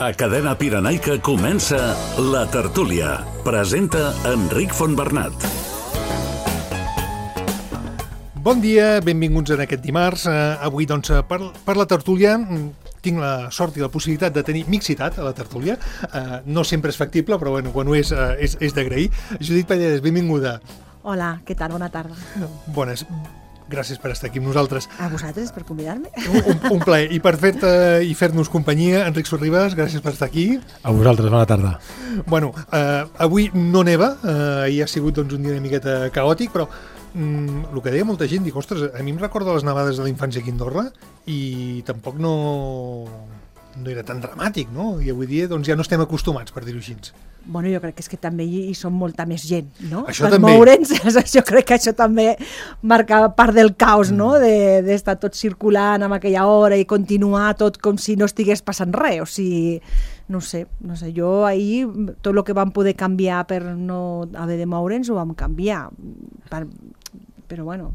A Cadena Pirenaica comença La Tertúlia. Presenta Enric Fontbernat. Bon dia, benvinguts en aquest dimarts. Avui, doncs, per La Tertúlia tinc la sort i la possibilitat de tenir mixitat a La Tertúlia. No sempre és factible, però bueno, quan ho és d'agrair. Judit Pallarès, benvinguda. Hola, què tal? Bona tarda. Bones. Gràcies per estar aquí amb nosaltres. A vosaltres per convidar-me. Un plaer. I per fer-nos companyia, Enric Sorribas, gràcies per estar aquí. A vosaltres, bona tarda. Bueno, avui no neva, ahir ha sigut doncs, un dia una miqueta caòtic, però el que deia molta gent, dic, ostres, a mi em recorda les nevades de la infància aquí a Andorra i tampoc no era tan dramàtic, no? I avui dia doncs, ja no estem acostumats, per dir-ho així. Bueno, jo crec que és que també hi som molta més gent, no? Això per també. Moure'ns, jo crec que això també marca part del caos, no? D'estar tot circulant amb aquella hora i continuar tot com si no estigués passant res, o sigui, no sé, jo ahir tot el que vam poder canviar per no haver de moure'ns ho vam canviar, però bueno,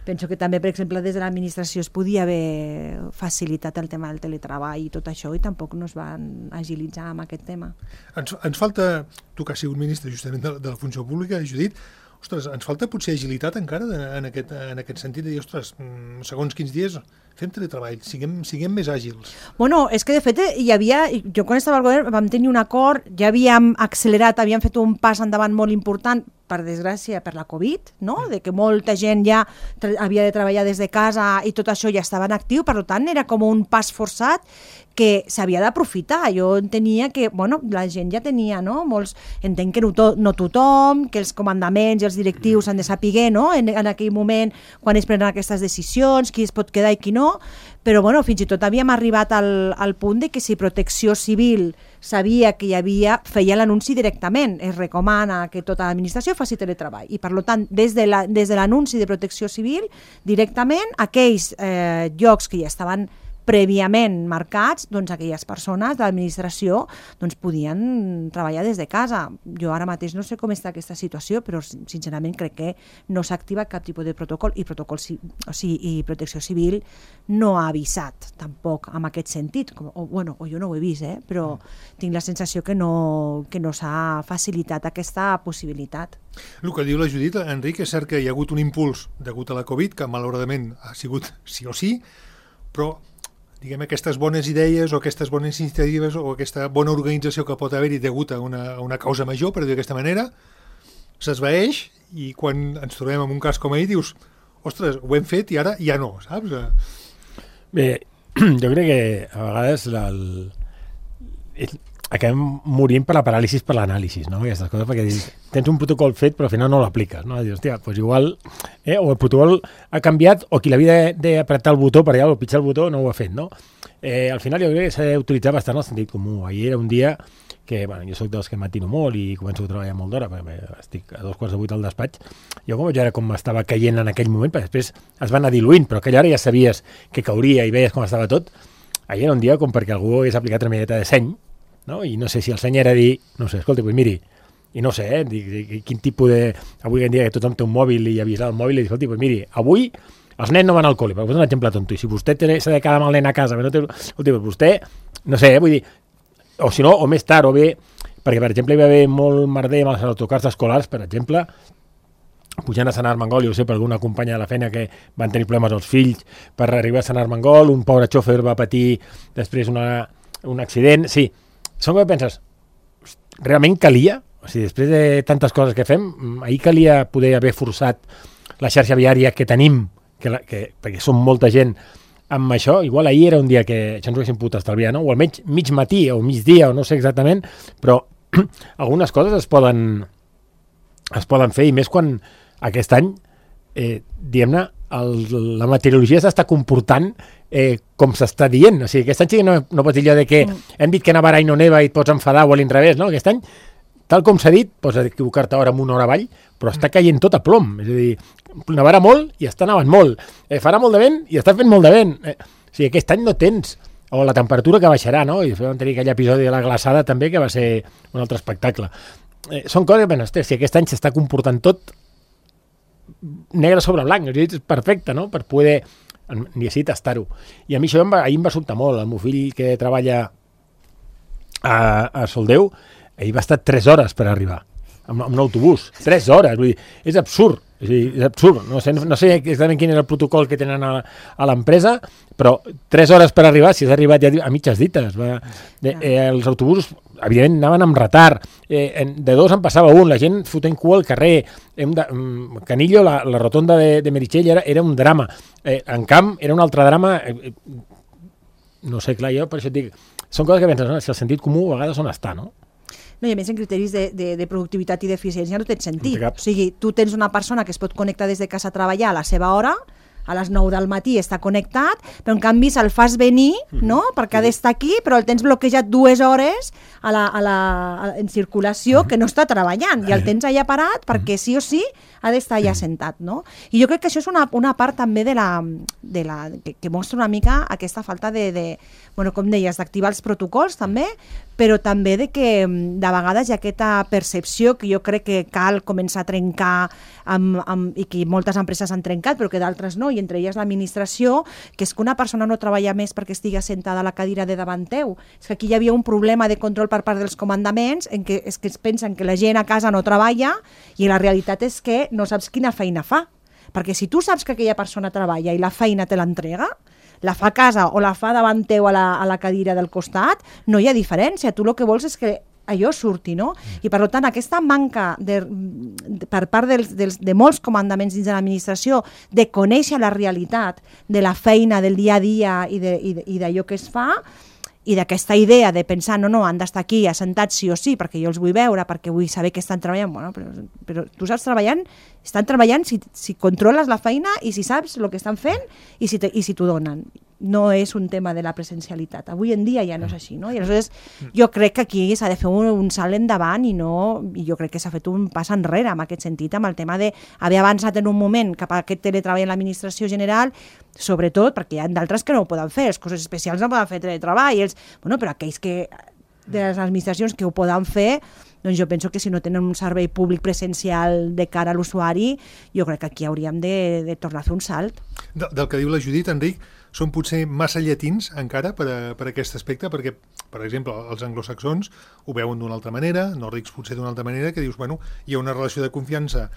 penso que també, per exemple, des de l'administració es podia haver facilitat el tema del teletreball i tot això i tampoc no es van agilitzar amb aquest tema. Ens falta, tu que has sigut ministre justament de la funció pública, Judit, ostres, ens falta potser agilitat encara en aquest sentit de dir, ostres, segons quins dies fem teletreball, siguem més àgils. Bueno, és que de fet hi havia, jo quan estava al govern vam tenir un acord, ja havíem accelerat, havíem fet un pas endavant molt important, per desgràcia, per la Covid, no? De que molta gent ja havia de treballar des de casa i tot això ja estava en actiu, per tant era com un pas forçat que s'havia d'aprofitar. Jo entenia que, bueno, la gent ja tenia, no? Entenc que no tothom, que els comandaments i els directius han de saber, no? En aquell moment, quan es prenen aquestes decisions, qui es pot quedar i qui no, però bueno, fins i tot havíem arribat al punt de que si Protecció Civil sabia que feia l'anunci directament, es recomana que tota l'administració faci teletreball i per tant des de l'anunci de Protecció Civil directament aquells llocs que ja estaven prèviament marcats, doncs aquelles persones de l'administració doncs, podien treballar des de casa. Jo ara mateix no sé com està aquesta situació, però sincerament crec que no s'ha activat cap tipus de protocol i Protecció Civil no ha avisat tampoc en aquest sentit. O jo no ho he vist, però tinc la sensació que no s'ha facilitat aquesta possibilitat. El que diu la Judit, Enric, és cert que hi ha hagut un impuls degut a la Covid, que malauradament ha sigut sí o sí, però diguem, aquestes bones idees o aquestes bones iniciatives o aquesta bona organització que pot haver-hi degut a una causa major, per dir d'aquesta manera, s'esvaeix i quan ens trobem en un cas com ahir dius, ostres, ho hem fet i ara ja no, saps? Bé, jo crec que a vegades acabem morint per la paràlisi per l'anàlisi, no? Aquestes coses, perquè tens un protocol fet però al final no l'apliques, no? Dius, hòstia, doncs igual o el protocol ha canviat o qui l'havia d'apretar el botó per allà o pitjar el botó no ho ha fet, no? Al final jo crec que s'ha d'utilitzar bastant el sentit comú. Ahir era un dia que, bueno, jo soc dels que matino molt i començo a treballar molt d'hora, perquè estic a 7:45 al despatx. Jo com veure com estava caient en aquell moment, perquè després es va anar diluint, però aquella hora ja sabies que cauria i veies com estava tot. Ahir era un dia com perquè algú hagués aplicat una miqueta de seny, no? I no sé si el seny era dir, no sé, escolta, doncs miri, i no sé, quin tipus de... Avui en dia que tothom té un mòbil i avisar el mòbil i dir, escolta, doncs miri, avui els nens no van al col·le, per posar un exemple tonto, i si vostè s'ha de quedar amb el nen a casa, no té... Escolta, doncs vostè, no sé, vull dir, o si no, o més tard, o bé, perquè per exemple hi va haver molt merder amb els autocars escolars, per exemple, pujant a Sant Armengol, jo ho sé, per alguna companya de la feina que van tenir problemes els fills per arribar a Sant Armengol, un pobre xòfer va patir després un accident, sí. Són que penses, realment calia? O sigui, després de tantes coses que fem, ahir calia poder haver forçat la xarxa viària que tenim, perquè som molta gent amb això, igual ahir era un dia que això ens ho haguéssim pogut estalviar, no? O almenys mig matí o migdia, o no sé exactament, però algunes coses es poden fer, i més quan aquest any, diguem-ne, la meteorologia s'està comportant com s'està dient, o sigui, aquest any sí que no pots dir allò de que hem dit que nevarà i no neva i et pots enfadar o a l'inrevés, no? Aquest any, tal com s'ha dit, pots equivocar-te ara amb una hora avall, però està caient tot a plom, és a dir, nevarà molt i està nevant molt, farà molt de vent i està fent molt de vent, o sigui, aquest any no tens, o la temperatura que baixarà, no? I vam tenir aquell episodi de la glaçada també, que va ser un altre espectacle. Són coses que, si aquest any s'està comportant tot negre sobre blanc, és perfecte, no? Per poder ni així tastar-ho. I a mi això ahir em va sobtar molt. El meu fill, que treballa a Soldeu, ahir va estar 3 hores per arribar, amb l'autobús. 3 hores, vull dir, és absurd. És absurd. No sé exactament quin era el protocol que tenen a l'empresa, però 3 hores per arribar, si has arribat ja a mitges dites. Els autobusos, evidentment, anaven amb retard. De 2 en passava un, la gent fotent cua al carrer. Canillo, la rotonda de Meritxell era un drama. En Camp era un altre drama. No sé, clar, jo per això et dic, són coses que penses, no? Si el sentit comú a vegades on està, no? No, i a més en criteris de productivitat i d'eficiència no té sentit. O sigui, tu tens una persona que es pot connectar des de casa a treballar a la seva hora, a les 9 del matí està connectat, però en canvi se'l fas venir, no?, perquè ha d'estar aquí, però el tens bloquejat 2 hores en circulació que no està treballant i el tens allà parat perquè sí o sí ha d'estar allà sentat, no? I jo crec que això és una part també que mostra una mica aquesta falta bueno, com deies, d'activar els protocols també, però també de que de vegades hi ha aquesta percepció que jo crec que cal començar a trencar i que moltes empreses han trencat però que d'altres no, i entre elles l'administració, que és que una persona no treballa més perquè estigui sentada a la cadira de davant teu. És que aquí hi havia un problema de control per part dels comandaments en què es pensen que la gent a casa no treballa i la realitat és que no saps quina feina fa. Perquè si tu saps que aquella persona treballa i la feina te l'entrega, la fa a casa o la fa davant teu a la cadira del costat, no hi ha diferència. Tu el que vols és que allò surti, no? I per tant, aquesta manca per part de molts comandaments dins de l'administració de conèixer la realitat de la feina del dia a dia i d'allò que es fa, i d'aquesta idea de pensar, no, han d'estar aquí assentats sí o sí, perquè jo els vull veure, perquè vull saber que estan treballant, bueno, però tu saps estan treballant si controles la feina i si saps el que estan fent i si t'ho donen. No és un tema de la presencialitat. Avui en dia ja no és així, no? I aleshores jo crec que aquí s'ha de fer un salt endavant i jo crec que s'ha fet un pas enrere en aquest sentit, amb el tema d'haver avançat en un moment cap a aquest teletreball en l'administració general, sobretot perquè hi ha d'altres que no ho poden fer, els cossos especials no poden fer teletreball, però aquells de les administracions que ho poden fer, doncs jo penso que si no tenen un servei públic presencial de cara a l'usuari, jo crec que aquí hauríem de tornar a fer un salt. Del que diu la Judit, Enric, són potser massa llatins encara per aquest aspecte, perquè, per exemple, els anglosaxons ho veuen d'una altra manera, nòrdics potser d'una altra manera, que dius, bueno, hi ha una relació de confiança,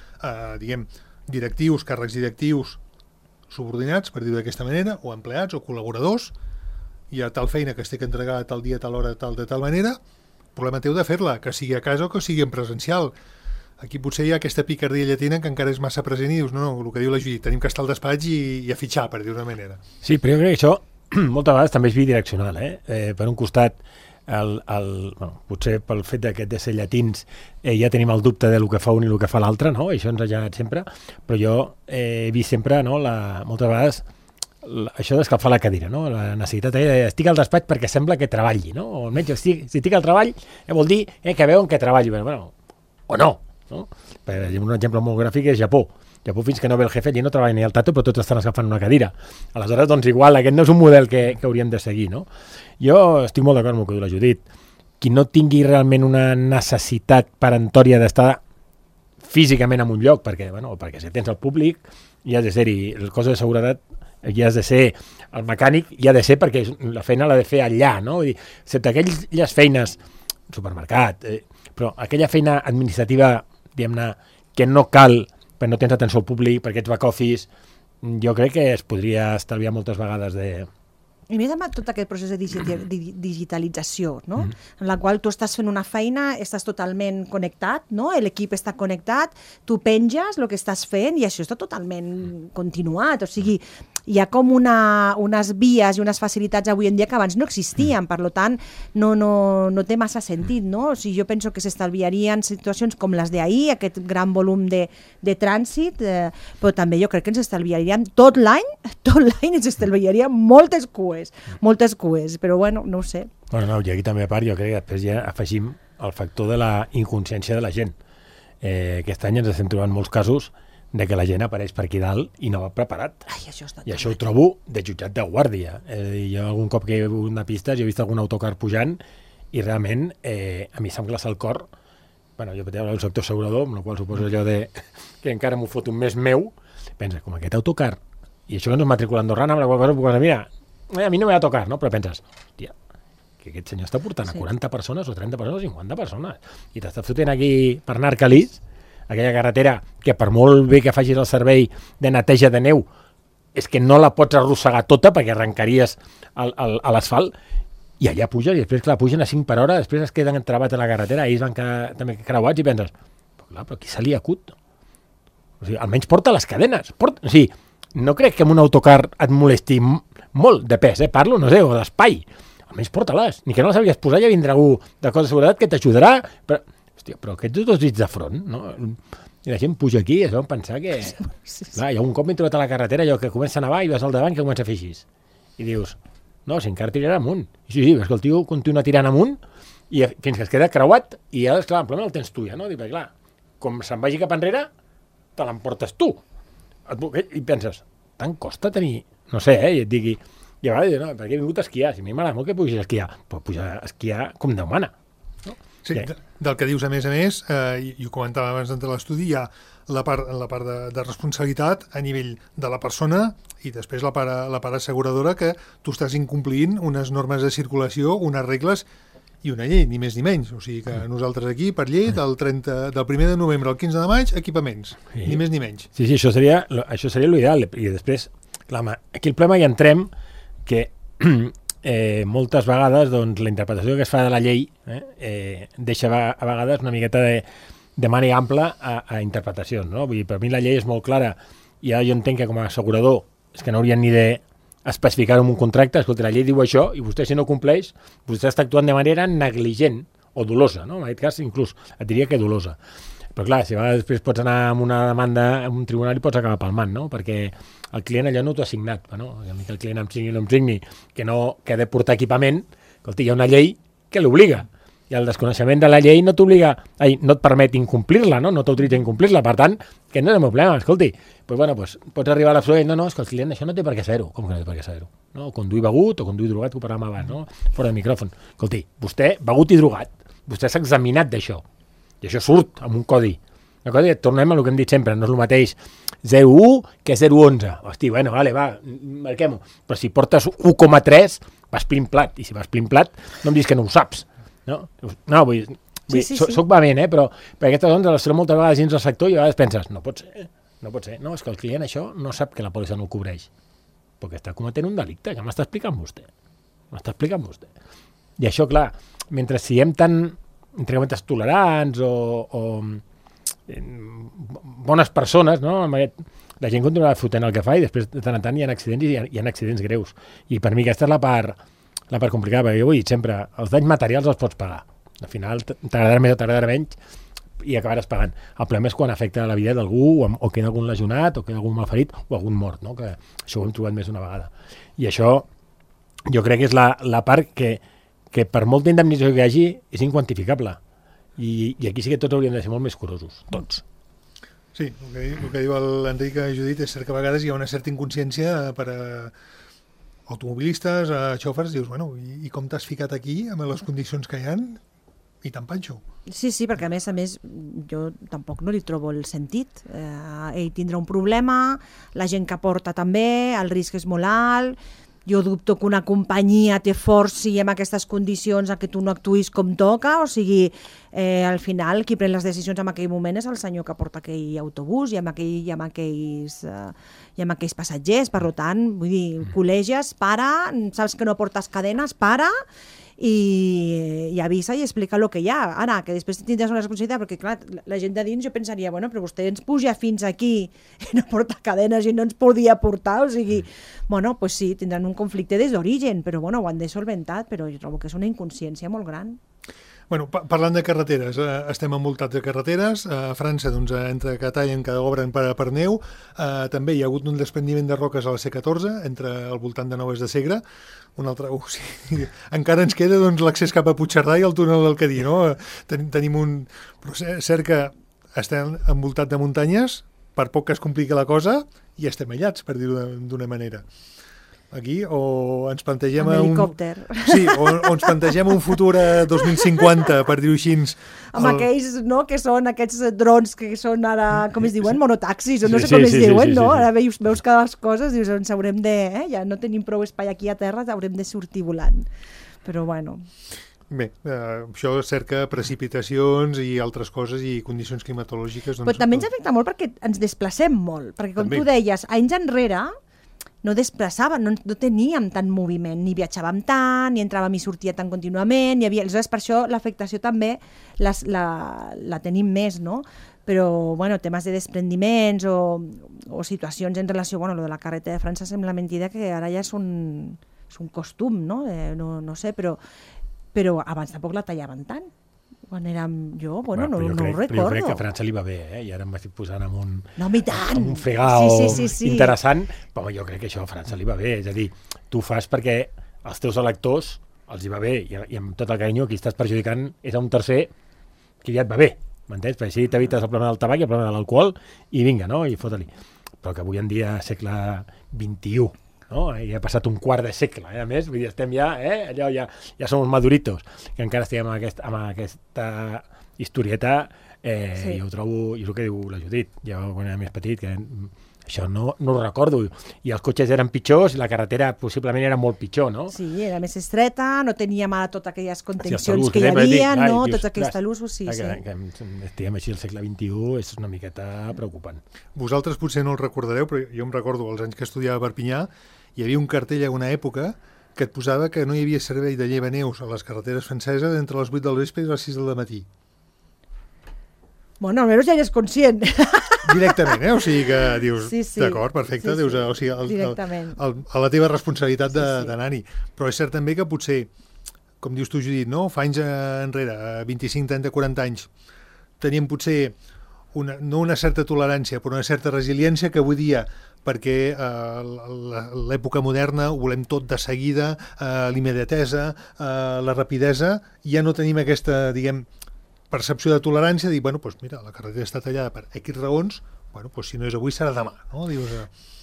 directius, càrrecs directius, subordinats, per dir-ho d'aquesta manera, o empleats o col·laboradors, hi ha tal feina que es té que entregar tal dia, tal hora, de tal manera, problema teu de fer-la, que sigui a casa o que sigui en presencial. Aquí potser hi ha aquesta picardia llatina que encara és massa present i dius, no, el que diu la Judit, tenim que estar al despatx i a fitxar, per dir-ho d'una manera. Sí, però jo crec que això moltes vegades també és bidireccional, per un costat, potser pel fet de ser llatins ja tenim el dubte del que fa un i el que fa l'altre, no? Això ens ha generat sempre, però jo he vist sempre, no, moltes vegades això d'escalfar la cadira, no? La necessitat estic al despatx perquè sembla que treballi, no? O almenys si estic al treball vol dir que veuen que treballi, bueno, o no, no? Un exemple molt gràfic és Japó. Japó, fins que no ve el jefe, allí no treballa ni el tato, però tots estan escalfant una cadira. Aleshores, doncs igual, aquest no és un model que hauríem de seguir, no? Jo estic molt d'acord amb el que diu la Judit. Qui no tingui realment una necessitat peremptòria d'estar físicament en un lloc, perquè si tens el públic, hi has de ser-hi, el cos de seguretat hi has de ser, el mecànic hi ha de ser perquè la feina l'ha de fer allà, no? Vull dir, excepte aquelles feines, supermercat, però aquella feina administrativa, diguem-ne, que no cal, perquè no tens atenció al públic, perquè ets back office, jo crec que es podria estalviar moltes vegades de... I més amb tot aquest procés de digitalització, no? En la qual tu estàs fent una feina, estàs totalment connectat, no? L'equip està connectat, tu penges el que estàs fent i això està totalment continuat. O sigui, hi ha com unes vies i unes facilitats avui en dia que abans no existien, per tant, no té massa sentit, no? O sigui, jo penso que s'estalviarien situacions com les d'ahir, aquest gran volum de trànsit, però també jo crec que ens estalviaríem tot l'any ens estalviaríem moltes cues, però bueno, no ho sé. Bueno, no, i aquí també a part jo crec que després ja afegim el factor de la inconsciència de la gent. Aquest any ens estem trobant molts casos de que la gent apareix per aquí dalt i no va preparat. I això ho trobo de jutjat de guàrdia. Jo algun cop que he vingut una pista, jo he vist algun autocar pujant i realment a mi se'm glaça el cor. Bueno, jo veia el sector assegurador, amb la qual suposo allò de que encara m'ho foto més meu. Pensa, com aquest autocar, i això que no és matrícula andorrana, amb la qual cosa puc pensar, mira, a mi no me va tocar, no? Però penses, hòstia, que aquest senyor està portant a 40 persones o 30 persones o 50 persones i t'està fotent aquí per anar a Arcalís, aquella carretera que per molt bé que facis el servei de neteja de neu és que no la pots arrossegar tota perquè arrencaries a l'asfalt i allà puges i després, clar, pugen a 5 per hora, després es queden travats a la carretera, ells van quedar també creuats i penses, però qui se li acut? O sigui, almenys porta les cadenes. O sigui, no crec que amb un autocar et molesti molt de pes, parlo, no sé, o d'espai. Almenys porta-les. Ni que no les havies posat, ja vindrà algú de cos de seguretat que t'ajudarà. Però, hòstia, però aquests dos dits de front, no? I la gent puja aquí i es van pensar que... Clar, i un cop m'he trobat a la carretera, allò que comença a nevar i vas al davant que comença a fer així. I dius, no, si encara tirarà amunt. I sí, veus que el tio continua tirant amunt i fins que es queda creuat i ja, clar, el problema el tens tu ja, no? Dic, clar, com se'n vagi cap enrere, te l'emportes tu. I penses, tant costa tenir... No sé, i et digui... I a vegades, no, perquè he vingut a esquiar. Si a mi m'agrada molt que pugis a esquiar, però pujar a esquiar com Déu mana. No? Sí, del que dius, a més, i ho comentava abans d'entrar a l'estudi, hi ha la part de responsabilitat a nivell de la persona i després la part asseguradora que tu estàs incomplint unes normes de circulació, unes regles i una llei, ni més ni menys. O sigui que nosaltres aquí, per llei, del 1 de novembre al 15 de maig, equipaments, ni més ni menys. Sí, això seria l'ideal. I després, clar, aquí el problema hi entrem que moltes vegades doncs, la interpretació que es fa de la llei deixa a vegades una miqueta de màniga ampla a interpretacions, no? Vull dir, per mi la llei és molt clara i ara jo entenc que com a assegurador és que no haurien ni d'especificar-ho en un contracte. Escolta, la llei diu això i vostè si no compleix, vostè està actuant de manera negligent o dolosa, no? En aquest cas inclús et diria que dolosa. Però clar, si a vegades després pots anar amb una demanda a un tribunal i pots acabar palmant, no? Perquè el client allò no t'ho ha signat, no? Que el client em signi o no em signi, que ha de portar equipament, escolta, hi ha una llei que l'obliga. I el desconeixement de la llei no t'obliga, no et permet incomplir-la, no t'autoritza a incomplir-la. Per tant, que no és el meu problema, escolti. Pots arribar a l'absolut, no, és que el client això no té per què ser-ho. Com que no té per què ser-ho? No? O conduir begut o conduir drogat, que ho parlàvem abans, no? Fora de micròfon. Escolti, vostè, begut i drogat, vostè s'ha examinat d'això. I això surt amb un codi. Tornem a el que hem dit sempre, no és el mateix 0,1 que 0,11. Hosti, bueno, vale, va, marquem-ho. Però si portes 1,3, vas plimplat. I si vas plimplat, no em diguis que no ho saps. No, vull dir, soc vehement, però per aquestes dones les trobo moltes vegades dins del sector i a vegades penses, no pot ser. No, és que el client això no sap que la pòlissa no ho cobreix. Perquè està cometent un delicte, que m'està explicant vostè. I això, clar, mentre siguem tan entre cometes tolerants o bones persones, no? La gent continuarà fotent el que fa i després de tant en tant hi ha accidents i hi ha accidents greus. I per mi aquesta és la part complicada, perquè jo ho he dit sempre, els danys materials els pots pagar. Al final t'agradarà més o t'agradarà menys i acabaràs pagant. El problema és quan afecta la vida d'algú o queda algun lesionat o queda algun malferit o algun mort, no? Que això ho hem trobat més d'una vegada. I això jo crec que és la part que per molta indemnització que hi hagi és inquantificable. I aquí sí que tots hauríem de ser molt més curosos, tots. Sí, el que diu l'Enric i Judit és cert que a vegades hi ha una certa inconsciència per a automobilistes, a xòfers, dius, bueno, i com t'has ficat aquí amb les condicions que hi ha? I tant panxo. Sí, perquè a més jo tampoc no li trobo el sentit. Ell tindrà un problema, la gent que porta també, el risc és molt alt. Jo dubto que una companyia te forci en aquestes condicions a que tu no actuïs com toca, o sigui, al final qui pren les decisions en aquell moment és el senyor que porta aquell autobús i amb aquells passatgers. Per tant, vull dir, col·leges, para, saps que no portes cadenes, para i avisa i explica el que hi ha. Ara, que després tindràs una responsabilitat, perquè clar, la gent de dins jo pensaria, bueno, però vostè ens puja fins aquí i no porta cadenes i no ens podia portar, o sigui, bueno, pues sí, tindran un conflicte des d'origen, però bueno, ho han de solventar, però jo trobo que és una inconsciència molt gran. Bueno, parlant de carreteres, estem envoltats de carreteres. A França, doncs, entre que tallen, que obren per neu, també hi ha hagut un desprendiment de roques a la C14, entre al voltant de Noves de Segre. Un altre, sí, encara ens queda doncs, l'accés cap a Puigcerdà i el túnel del Cadí, no? Tenim un... Però cert que estem envoltats de muntanyes, per poc que es complica la cosa, i estem aïllats, per dir-ho d'una manera. Aquí, o ens plantegem helicòpter. Sí, o ens plantegem un futur a 2050, per dir-ho així. Amb aquells, no?, que són aquests drons que són ara, com es diuen, monotaxis, o no sé com es diuen, no? Ara veus cada cosa, dius, ens haurem de... Ja no tenim prou espai aquí a terra, haurem de sortir volant. Però bueno... Bé, això cerca precipitacions i altres coses i condicions climatològiques. Doncs, però també ens afecta molt perquè ens desplacem molt, perquè com també. tu deies, anys enrere no desplaçàvem, no teníem tant moviment, ni viatjàvem tant, ni entràvem i sortia tan contínuament, aleshores per això l'afectació també la tenim més, no? Però, bueno, temes de desprendiments o situacions en relació, bueno, lo de la carretera de França sembla mentida que ara ja és un costum, no? No sé, però abans tampoc la tallaven tant. Quan érem jo, bueno, no ho recordo. Però jo crec que a França li va bé, i ara em estic posant amb un, no, amb un fregau sí. interessant, però jo crec que això a França li va bé, és a dir, tu fas perquè als teus electors els hi va bé, i amb tot el carinyo qui estàs perjudicant és a un tercer que ja et va bé, m'entens? Perquè així t'evites el problema del tabac i el problema de l'alcohol, i vinga, no? I fota-li. Però que avui en dia, segle XXI, no? Ja ha passat un quart de segle, a més, vull dir, estem ja, allò ja som maduritos, que encara estem amb aquesta historieta, sí. Jo ho trobo, i és el que diu la Judit, jo quan era més petit, que això no ho recordo, i els cotxes eren pitjors, i la carretera possiblement era molt pitjor, no? Sí, era més estreta, no teníem ara totes aquelles contencions talús, que hi havia, no? dius, Tots aquells talussos, sí. Que estiguem així al segle XXI és una miqueta preocupant. Vosaltres potser no el recordareu, però jo em recordo els anys que estudiava a Perpinyà, hi havia un cartell a una època que et posava que no hi havia servei de llevaneus a les carreteres franceses entre les 8 del vespre i les 6 del matí. Bueno, almenys ja eres conscient. Directament, o sigui que dius, sí. d'acord, perfecte, Sí. dius, o sigui, a la teva responsabilitat d'anar-hi. Però és cert també que potser, com dius tu, Judit, no? Fa anys enrere, 25, 30, 40 anys, teníem potser no una certa tolerància, però una certa resiliència que avui dia, perquè l'època moderna ho volem tot de seguida, l'immediatesa, la rapidesa, ja no tenim aquesta, diguem, percepció de tolerància, dir, bueno, doncs mira, la carretera està tallada per X raons, bueno, doncs si no és avui serà demà, no? Dius,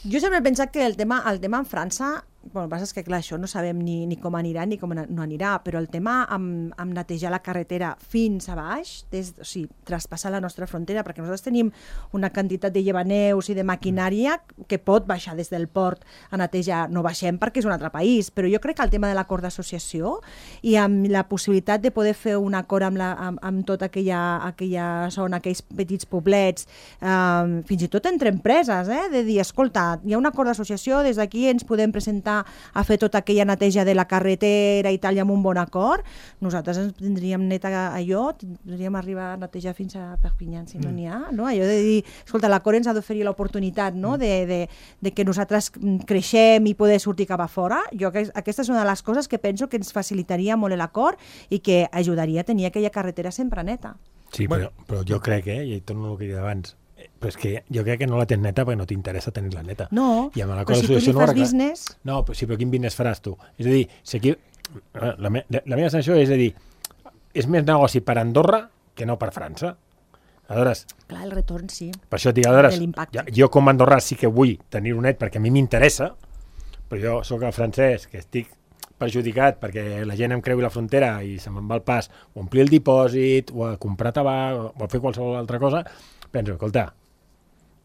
Jo sempre he pensat que el tema en França, bueno, el que passa és que clar, això no sabem ni com anirà ni com no anirà, però el tema amb netejar la carretera fins a baix, o sigui, traspassar la nostra frontera, perquè nosaltres tenim una quantitat de llevaneus i de maquinària que pot baixar des del port a netejar, no baixem perquè és un altre país, però jo crec que el tema de l'acord d'associació i amb la possibilitat de poder fer un acord amb tota aquella zona, aquells petits poblets, fins i tot entre empreses, de dir, escolta, hi ha un acord d'associació, des d'aquí ens podem presentar a fer tota aquella neteja de la carretera i tal, i amb un bon acord, nosaltres ens tindríem neta allò, tindríem arribar a netejar fins a Perpinyà, si no n'hi ha, no? Allò de dir, escolta, l'acord ens ha d'oferir l'oportunitat, no? de que nosaltres creixem i poder sortir cap a fora. Jo, aquesta és una de les coses que penso que ens facilitaria molt l'acord i que ajudaria a tenir aquella carretera sempre neta. Sí, però jo crec, i torno al que he dit abans, però és que jo crec que no la tens neta perquè no t'interessa tenir-la neta. No, però si tu li fas business... No, però quin business faràs tu? És a dir, si aquí... la meva sensació és a dir, és més negoci per Andorra que no per França. Aleshores... Clar, el retorn, sí. Per això et dic, aleshores, jo com a Andorrà sí que vull tenir-ho net perquè a mi m'interessa, però jo sóc el francès que estic perjudicat perquè la gent em creui la frontera i se me'n va el pas o omplir el dipòsit o a comprar tabac o a fer qualsevol altra cosa, penso, escolta,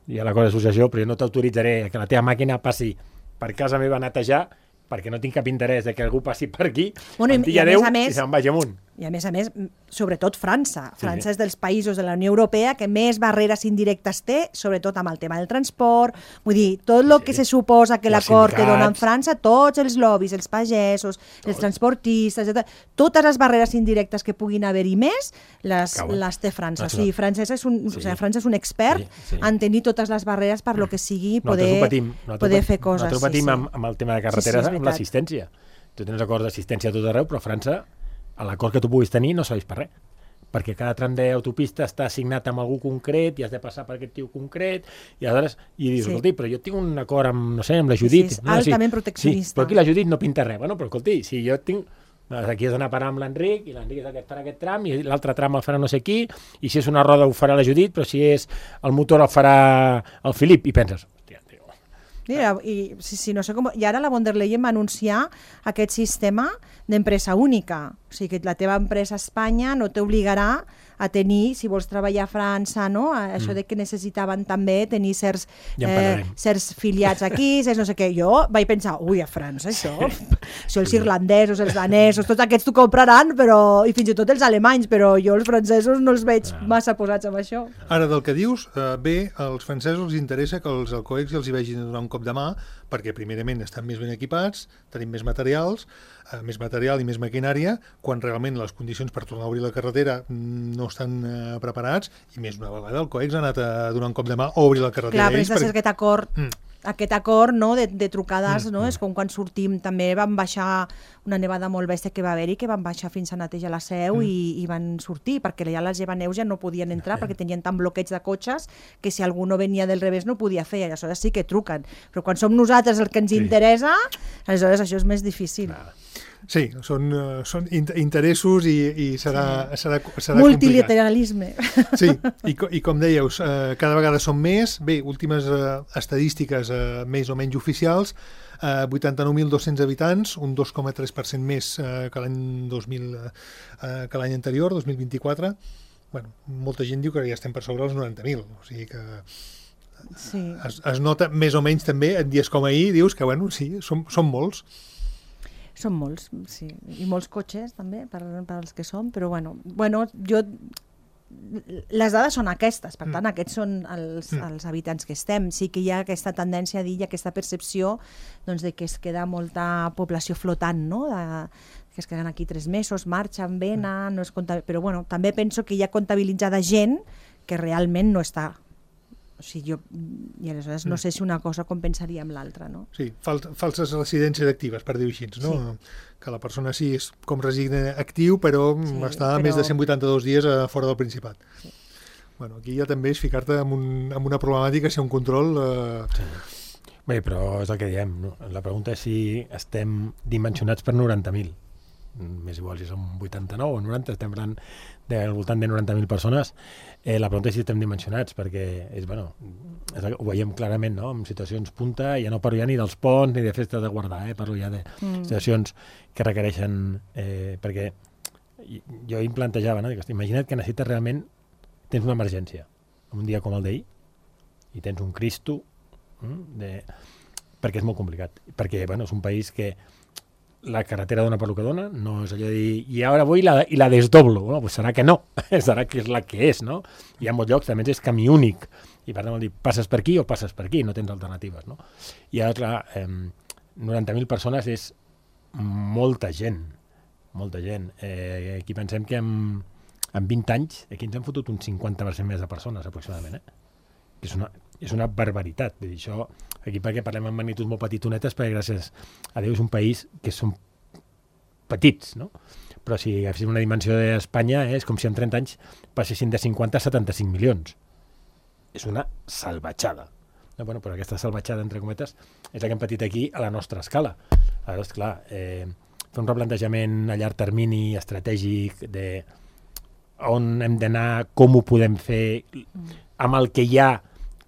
hi ha l'acord d'associació, però jo no t'autoritzaré que la teva màquina passi per casa meva a netejar perquè no tinc cap interès de que algú passi per aquí, em digui adéu i se'n vagi amunt. I a més, sobretot França. França és dels països de la Unió Europea que més barreres indirectes té, sobretot amb el tema del transport. Vull dir, tot el que se suposa que l'acord que dona en França, tots els lobbies, els pagesos, els transportistes, totes les barreres indirectes que puguin haver-hi més, les té França. O sigui, França és un expert en tenir totes les barreres per lo que sigui poder fer coses. Nosaltres patim amb el tema de carreteres, amb l'assistència. Tu tens acords d'assistència a tot arreu, però a França l'acord que tu puguis tenir no serveix per res, perquè cada tram d'autopista està assignat amb algú concret i has de passar per aquest tio concret i aleshores, dius, escolti, però jo tinc un acord amb, no sé, amb la Judit. Sí, és altament proteccionista. Sí, però aquí la Judit no pinta res. Bueno, però escolti, si jo tinc... Aquí has d'anar a parar amb l'Enric i l'Enric és el que farà aquest tram i l'altre tram el farà no sé qui i si és una roda ho farà la Judit, però si és el motor el farà el Filip i penses, hòstia, tio... Mira, no sé com... I ara la von der Leyen va anunciar aquest sistema d'empresa única. O sigui, que la teva empresa a Espanya no t'obligarà a tenir, si vols treballar a França, no? Això de que necessitaven també tenir certs filiats aquí, certs no sé què. Jo vaig pensar, ui, a França això, els irlandesos, els danesos, tots aquests t'ho compraran, però, i fins i tot els alemanys, però jo els francesos no els veig massa posats amb això. Ara, del que dius, bé, als francesos els interessa que els alcohòlics els hi vegin donar un cop de mà, perquè primerament estan més ben equipats, tenim més material i més maquinària, quan realment les condicions per tornar a obrir la carretera no estan preparats, i més una vegada el COEX ha anat a donar un cop de mà o obrir la carretera. Clar, però és de ser aquest acord no, de trucades, no? És com quan sortim, també vam baixar una nevada molt bèstia que va haver-hi, que van baixar fins a netejar la Seu i van sortir, perquè ja les llevaneus ja no podien entrar perquè tenien tan bloqueig de cotxes que si algú no venia del revés no podia fer, i aleshores sí que truquen. Però quan som nosaltres el que ens interessa, aleshores això és més difícil. Sí, són interessos i serà multilateralisme. Sí, i com dèieu, cada vegada són més. Bé, últimes estadístiques més o menys oficials, 89.200 habitants, un 2,3% més que l'any anterior, 2024. Bueno, molta gent diu que ja estem per sobre els 90.000, o sigui que es nota més o menys també en dies com ahir, dius que bueno, sí, són molts. Són molts, sí. I molts cotxes també, per als que som, però bueno, les dades són aquestes, per tant, aquests són els habitants que estem. Sí que hi ha aquesta tendència a dir, aquesta percepció doncs, de que es queda molta població flotant, no? Que es queden aquí 3 mesos, marxen, venen, no es però bueno, també penso que hi ha comptabilitzada gent que realment no està. O sigui, i aleshores no sé si una cosa compensaria amb l'altra, no? Sí, falses residències actives, per dir-ho així, no? Sí. Que la persona sí és com resident actiu, però està més de 182 dies fora del Principat. Sí. Bueno, aquí ja també és ficar-te amb una problemàtica, si un control... Sí. Bé, però és el que diem, no? La pregunta és si estem dimensionats per 90.000. Més igual si som 89 o 90, estem parlant al voltant de 90.000 persones. La pregunta és si estem dimensionats, perquè ho veiem clarament, no? En situacions punta, ja no parlo ja ni dels ponts ni de festes de guardar, parlo ja de situacions que requereixen... perquè jo em plantejava, no? Imagina't que necessites realment, tens una emergència, un dia com el d'ahir, i tens un Cristo, perquè és molt complicat, perquè és un país que la carretera dona per lo que dona, no és allò de dir, i ara vull i la desdoblo. Bueno, pues serà que no, serà que és la que és, no? Hi ha molts llocs, també és camí únic, i per tant vol dir, passes per aquí o passes per aquí, no tens alternatives, no? I ara, clar, 90.000 persones és molta gent, molta gent. Aquí pensem que en 20 anys, aquí ens hem fotut un 50% més de persones, aproximadament, És una barbaritat. Vull dir, això, aquí perquè parlem en magnituds molt petitonetes, perquè gràcies a Déu és un país que són petits, no? Però si agaféssim una dimensió d'Espanya, és com si en 30 anys passessin de 50 a 75 milions. És una salvatjada. No, bueno, però aquesta salvatjada, entre cometes, és la que hem patit aquí a la nostra escala. Aleshores, clar, fer un replantejament a llarg termini estratègic de on hem d'anar, com ho podem fer, amb el que hi ha,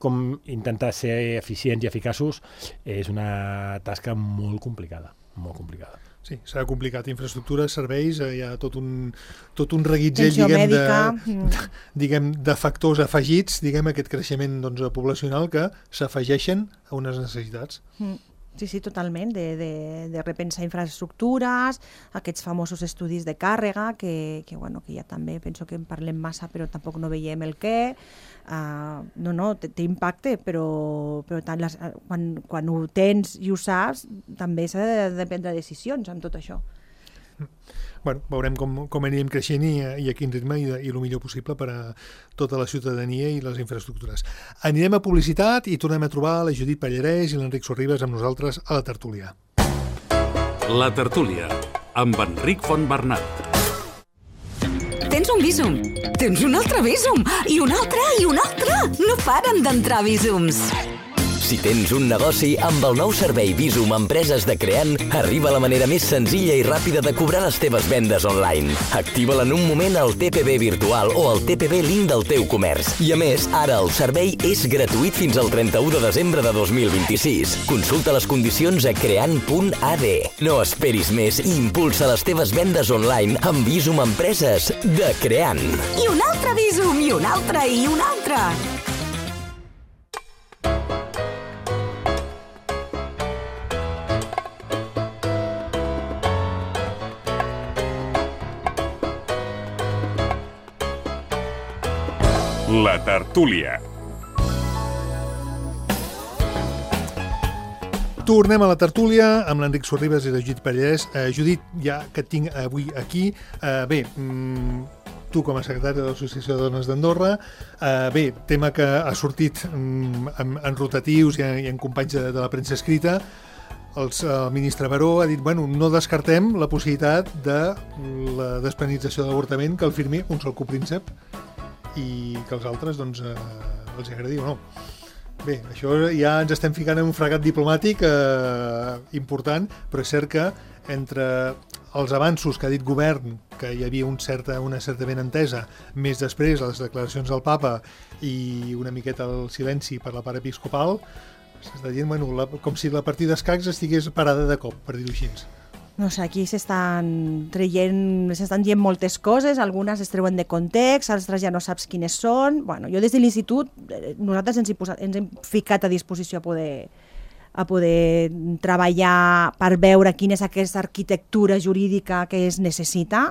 com intentar ser eficients i eficaços, és una tasca molt complicada, molt complicada. Sí, serà complicat. Infraestructures, serveis, hi ha tot un reguitzell, diguem, de factors afegits, diguem, aquest creixement poblacional que s'afegeixen a unes necessitats. Sí, totalment, de repensar infraestructures, aquests famosos estudis de càrrega, que ja també penso que en parlem massa, però tampoc no veiem el què. Té impacte, però quan ho tens i ho saps, també s'ha de prendre decisions amb tot això. Bueno, veurem com anirem creixent i a quin ritme i el millor possible per a tota la ciutadania i les infraestructures. Anirem a publicitat i tornem a trobar la Judit Pallarès i l'Enric Sorribes amb nosaltres a la tertúlia. La tertúlia, amb Enric Fontbernat. Tens un vísum, tens un altre vísum, i un altre, i un altre. No paren d'entrar vísums. Si tens un negoci, amb el nou servei Visum Empreses de Creant, arriba la manera més senzilla i ràpida de cobrar les teves vendes online. Activa-la en un moment al TPB virtual o al TPB link del teu comerç. I a més, ara el servei és gratuït fins al 31 de desembre de 2026. Consulta les condicions a creant.ad. No esperis més i impulsa les teves vendes online amb Visum Empreses de Creant. I un altre Visum, i un altre, i un altre. La tertúlia. Tornem a la tertúlia amb l'Enric Sorribas i la Judit Pallès. Judit, ja que et tinc avui aquí, tu com a secretari de l'Associació de Dones d'Andorra, tema que ha sortit en rotatius i en companys de la premsa escrita. El ministre Baró ha dit, no descartem la possibilitat de la despenalització de l'avortament que el firmi un sol copríncep i que els altres els agradi o no. Bé, això ja ens estem ficant en un fregat diplomàtic important, però és cert que entre els avanços que ha dit govern, que hi havia una certa benentesa, més després les declaracions del papa i una miqueta el silenci per la part episcopal, s'està dient com si la partida d'escacs estigués parada de cop, per dir-ho així. No sé, aquí s'estan dient moltes coses, algunes es treuen de context, altres ja no saps quines són. Jo des de l'institut, nosaltres ens hem ficat a disposició a poder treballar per veure quina és aquesta arquitectura jurídica que es necessita.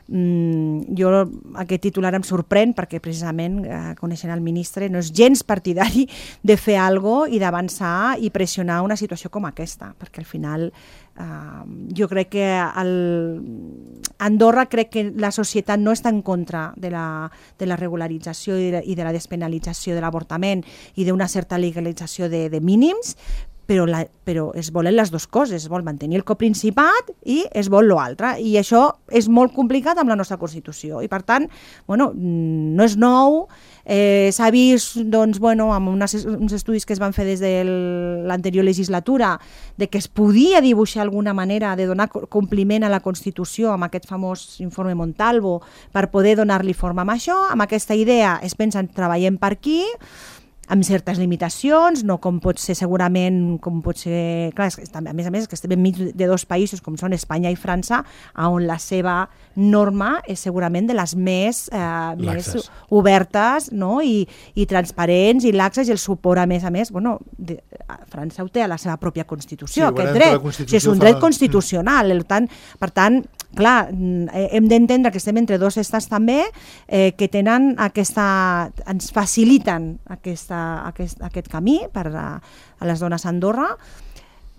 Jo aquest titular em sorprèn perquè precisament coneixent el ministre no és gens partidari de fer alguna cosa i d'avançar i pressionar una situació com aquesta, perquè al final jo crec que Andorra crec que la societat no està en contra de la regularització i de la despenalització de l'avortament i d'una certa legalització de mínims, però es volen les dues coses, es vol mantenir el coprincipat i es vol l'altre, i això és molt complicat amb la nostra Constitució, i per tant, no és nou, s'ha vist amb uns estudis que es van fer des de l'anterior legislatura de que es podia dibuixar alguna manera de donar compliment a la Constitució amb aquest famós informe Montalvo per poder donar-li forma amb això, amb aquesta idea es pensa treballem per aquí, amb certes limitacions, no com pot ser segurament, clar, a més que estem enmig de dos països com són Espanya i França, on la seva norma és segurament de les més obertes, no? I transparents i laxes, i el suport a més, França ho té a la seva pròpia Constitució, aquest dret, és un dret constitucional, per tant, clar, hem d'entendre que estem entre dos estats també que tenen ens faciliten aquest camí per a les dones a Andorra,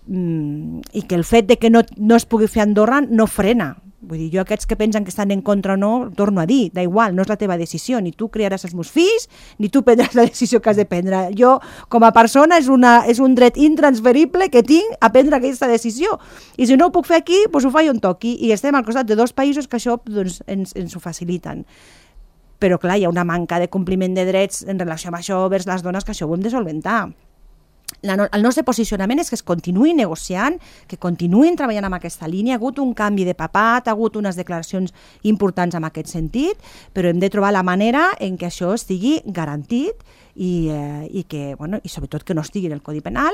i que el fet de que no es pugui fer a Andorra no frena. Vull dir, jo aquests que pensen que estan en contra o no, torno a dir, da igual, no és la teva decisió, ni tu criaràs els meus fills, ni tu prendràs la decisió que has de prendre. Jo, com a persona, és un dret intransferible que tinc a prendre aquesta decisió. I si no ho puc fer aquí, doncs ho faig on toqui, i estem al costat de dos països que això ens ho faciliten. Però clar, hi ha una manca de compliment de drets en relació amb això vers les dones que això ho hem de solventar. El nostre posicionament és que es continuï negociant, que continuïn treballant en aquesta línia. Ha hagut un canvi de papat, ha hagut unes declaracions importants en aquest sentit, però hem de trobar la manera en què això estigui garantit i sobretot que no estigui en el Codi Penal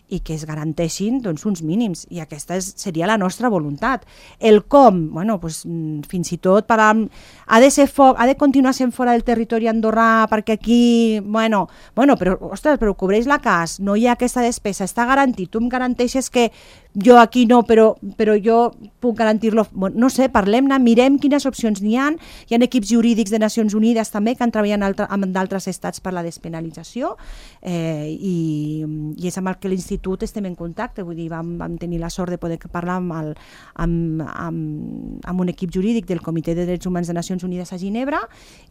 i que es garanteixin uns mínims, i aquesta seria la nostra voluntat. El com, fins i tot ha de continuar sent fora del territori andorrà perquè aquí, però cobreix la CAS, no hi ha aquesta despesa, està garantit, tu em garanteixes que jo aquí no, però jo puc garantir-lo, no sé, parlem-ne, mirem quines opcions n'hi ha equips jurídics de Nacions Unides també que han treballat amb d'altres estats per la despenalització, i és amb el que l'Institut estem en contacte, vull dir, vam tenir la sort de poder parlar amb un equip jurídic del Comitè de Drets Humans de Nacions Unides a Ginebra,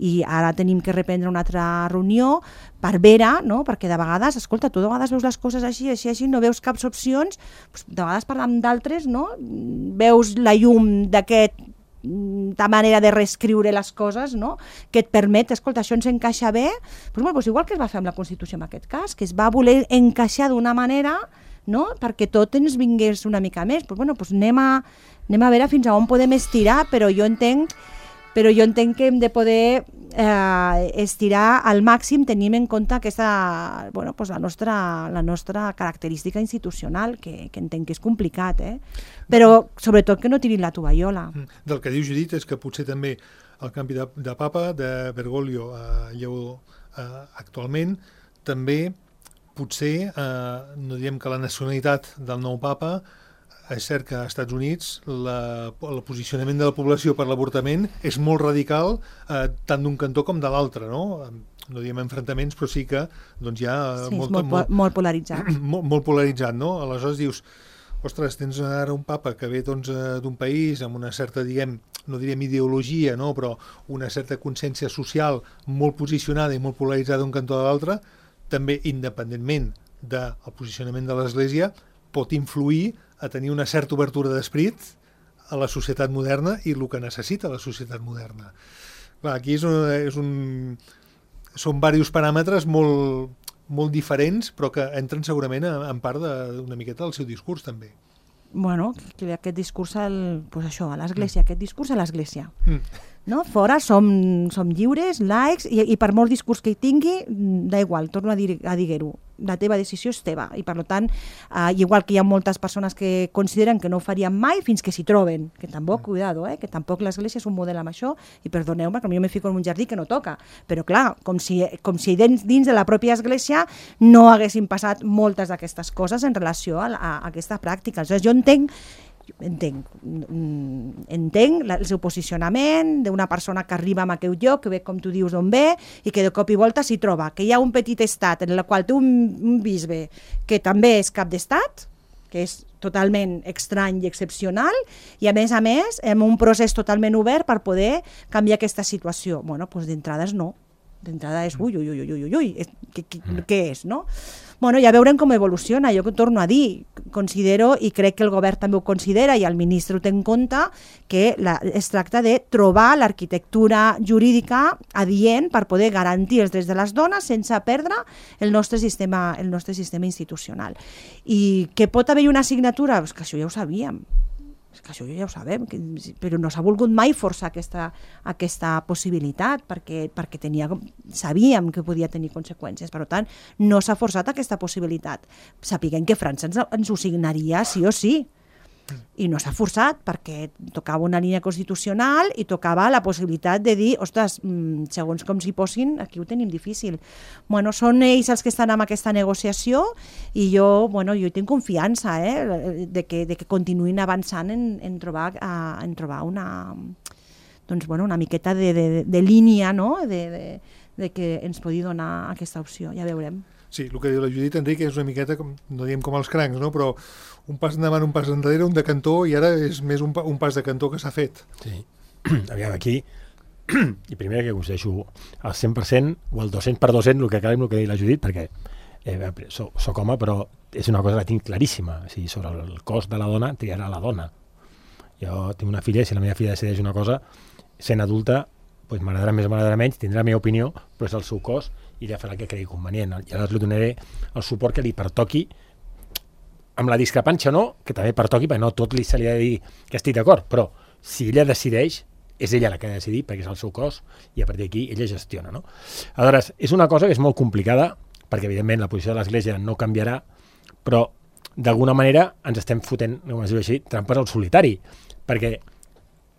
i ara tenim que reprendre una altra reunió per veure, no? Perquè de vegades, escolta, tu de vegades veus les coses així, no veus caps opcions, de vegades parlant d'altres, no? Veus la llum d'aquest ta manera de reescriure les coses, no? Que et permet, escolta, això ens encaixa bé, doncs igual que es va fer amb la Constitució en aquest cas, que es va voler encaixar d'una manera, no? Perquè tot ens vingués una mica més. Doncs anem a veure fins a on podem estirar, però jo entenc que hem de poder estirar al màxim tenint en compte aquesta, la nostra característica institucional, que entenc que és complicat, però sobretot que no tirin la tovallola. Del que diu Judit és que potser també el canvi de papa, de Bergoglio a Lleó actualment, també potser, no diem que la nacionalitat del nou papa, és cert que als Estats Units el posicionament de la població per l'avortament és molt radical, tant d'un cantó com de l'altre, no? No diem enfrontaments, però sí que doncs, hi ha molt polaritzat. Molt polaritzat, no? Aleshores dius, ostres, tens ara un papa que ve d'un país amb una certa, diguem, no diríem ideologia, no? Però una certa consciència social molt posicionada i molt polaritzada d'un cantó a l'altre, també independentment del posicionament de l'Església, pot influir a tenir una certa obertura d'esperit a la societat moderna i el que necessita la societat moderna. Clar, aquí són diversos paràmetres molt diferents, però que entren segurament en part d'una miqueta del seu discurs, també. Bueno, que aquest discurs a l'Església, aquest discurs a l'Església. No? Fora som lliures, laics, i per molt discurs que hi tingui, da igual, torno a dir-ho. La teva decisió és teva, i per tant, igual que hi ha moltes persones que consideren que no ho farien mai fins que s'hi troben, que tampoc, cuidado, que tampoc l'Església és un model amb això, i perdoneu-me que jo me fico en un jardí que no toca, però clar, com si dins de la pròpia Església no haguessin passat moltes d'aquestes coses en relació a aquesta pràctica. Aleshores, jo entenc el seu posicionament d'una persona que arriba a aquell lloc, que ve, com tu dius, d'on ve, i que de cop i volta s'hi troba, que hi ha un petit estat en el qual té un bisbe que també és cap d'estat, que és totalment estrany i excepcional, i a més, amb un procés totalment obert per poder canviar aquesta situació. Bueno, doncs d'entrada és no. D'entrada és ui, què és, no? Bueno, ja veurem com evoluciona. Jo torno a dir, considero, i crec que el govern també ho considera i el ministre ho té en compte, que es tracta de trobar l'arquitectura jurídica adient per poder garantir els drets de les dones sense perdre el nostre sistema institucional. I que pot haver una assignatura? És que això ja ho sabíem. És que això ja ho sabem, però no s'ha volgut mai forçar aquesta possibilitat perquè sabíem que podia tenir conseqüències. Per tant, no s'ha forçat aquesta possibilitat. Sapiguem que França ens ho signaria sí o sí. I no s'ha forçat perquè tocava una línia constitucional i tocava la possibilitat de dir, ostres, segons com s'hi posin, aquí ho tenim difícil. Bueno, són ells els que estan en aquesta negociació i jo hi tinc confiança de que continuïn avançant en trobar una miqueta de línia, no? de que ens pugui donar aquesta opció, ja veurem. Sí, el que diu la Judit, Enric, és una miqueta, no diem com els crancs, no? Però un pas endavant, un pas enrere, un de cantó, i ara és més un pas de cantó que s'ha fet. Sí. Aviam, aquí, i primer que coincideixo al 100% o al 200%, el que acabem, el que diu la Judit, perquè soc home, però és una cosa que tinc claríssima. O sigui, sobre el cos de la dona, triarà la dona. Jo tinc una filla, i si la meva filla decideix una cosa, sent adulta, doncs m'agradarà més o m'agradarà menys, tindrà la meva opinió, però és el seu cos i ella farà el que cregui convenient. I aleshores li donaré el suport que li pertoqui, amb la discrepància o no, que també pertoqui, perquè no tot se li ha de dir que estic d'acord, però si ella decideix, és ella la que ha de decidir, perquè és el seu cos, i a partir d'aquí ella gestiona, no? Aleshores, és una cosa que és molt complicada, perquè evidentment la posició de l'Església no canviarà, però d'alguna manera ens estem fotent, com es diu així, trampes al solitari, perquè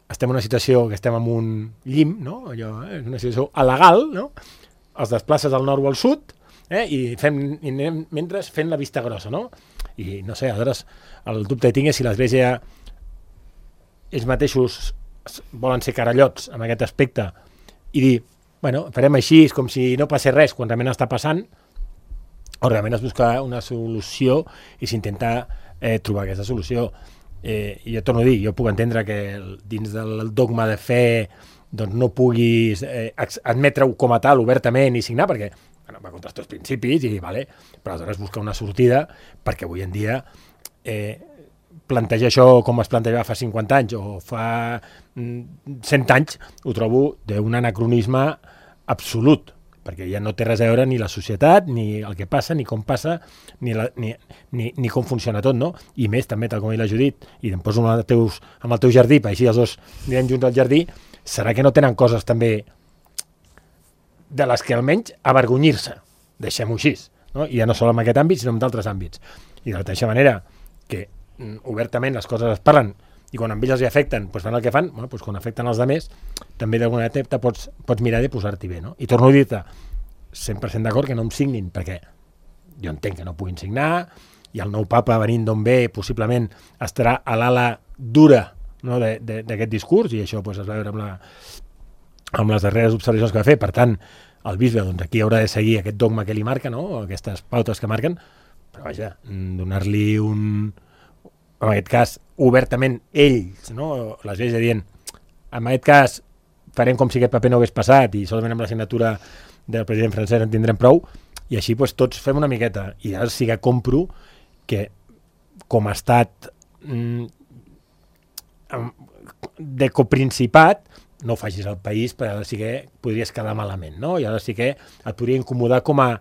estem en una situació que estem en un llim, no? Allò, és una situació alegal, no? Els desplaces al nord o al sud, i anem mentre fent la vista grossa, no? I no sé, aleshores el dubte que tinc és si l'Església ells mateixos volen ser carallots en aquest aspecte i dir, bueno, farem així com si no passés res quan realment està passant, o realment es busca una solució i s'intenta trobar aquesta solució. I jo torno a dir, jo puc entendre que dins del dogma de fe doncs no puguis admetre-ho com a tal obertament i signar, perquè va contra els teus principis, però aleshores buscar una sortida, perquè avui en dia plantejar això com es plantejava fa 50 anys o fa 100 anys, ho trobo d'un anacronisme absolut, perquè ja no té res a veure ni la societat, ni el que passa, ni com passa, ni com funciona tot, no? I més, també, tal com ha dit la Judit, i em poso amb el teu jardí, per així els dos anirem junts al jardí, serà que no tenen coses també de les que almenys avergonyir-se, deixem-ho així, no? I ja no sol en aquest àmbit, sinó en d'altres àmbits. I de la mateixa manera que obertament les coses es parlen i quan amb ells els afecten, doncs fan el que fan, bueno, doncs quan afecten els altres, també d'alguna manera pots mirar de posar-t'hi bé, no? I torno a dir-te, 100% d'acord que no em signin, perquè jo entenc que no puguin signar, i el nou papa venint d'on ve, possiblement estarà a l'ala dura, no, d'aquest discurs, i això doncs, es va veure amb les darreres observacions que va fer. Per tant, el bisbe doncs, aquí haurà de seguir aquest dogma que li marca, no? Aquestes pautes que marquen, però vaja, donar-li en aquest cas, obertament ells, no? L'Església dient, en aquest cas farem com si aquest paper no hagués passat i solament amb la signatura del president francès en tindrem prou, i així doncs, tots fem una miqueta. I ara sí que compro que com a estat de coprincipat no ho facis al país, perquè ara sí que podries quedar malament, no? I ara sí que et podria incomodar com a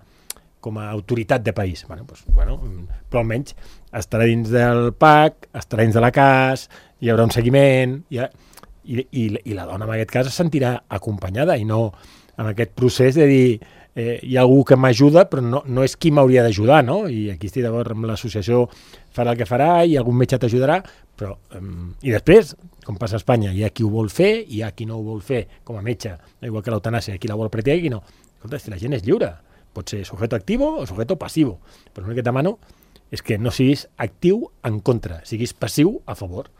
autoritat de país. Però almenys estarà dins del PAC, estarà dins de la CAS, hi haurà un seguiment, i la dona en aquest cas es sentirà acompanyada i no en aquest procés de dir hi ha algú que m'ajuda però no és qui m'hauria d'ajudar, no? I aquí estic d'acord amb l'associació, farà el que farà i algun metge t'ajudarà, però i després, com passa a Espanya, hi ha qui ho vol fer, hi ha qui no ho vol fer com a metge, igual que l'eutanàsia, qui la vol practicar i qui no. Escolta, si la gent és lliure, pot ser sujeto activo o sujeto passivo, però l'únic que et demano és que no siguis actiu en contra, siguis passiu a favor.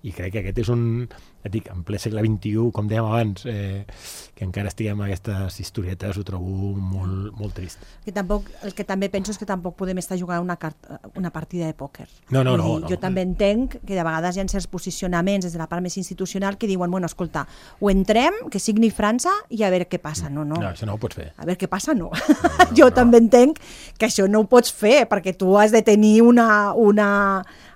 I crec que aquest és en ple segle XXI, com dèiem abans, que encara estiguem en aquestes historietes, ho trobo molt, molt trist. El que també penso és que tampoc podem estar jugant una partida de pòquer. No. Jo també entenc que de vegades hi ha certs posicionaments des de la part més institucional que diuen, bueno, escolta, ho entrem, que signi França i a veure què passa. No, això no ho pots fer. A veure què passa, no. Jo també entenc que això no ho pots fer, perquè tu has de tenir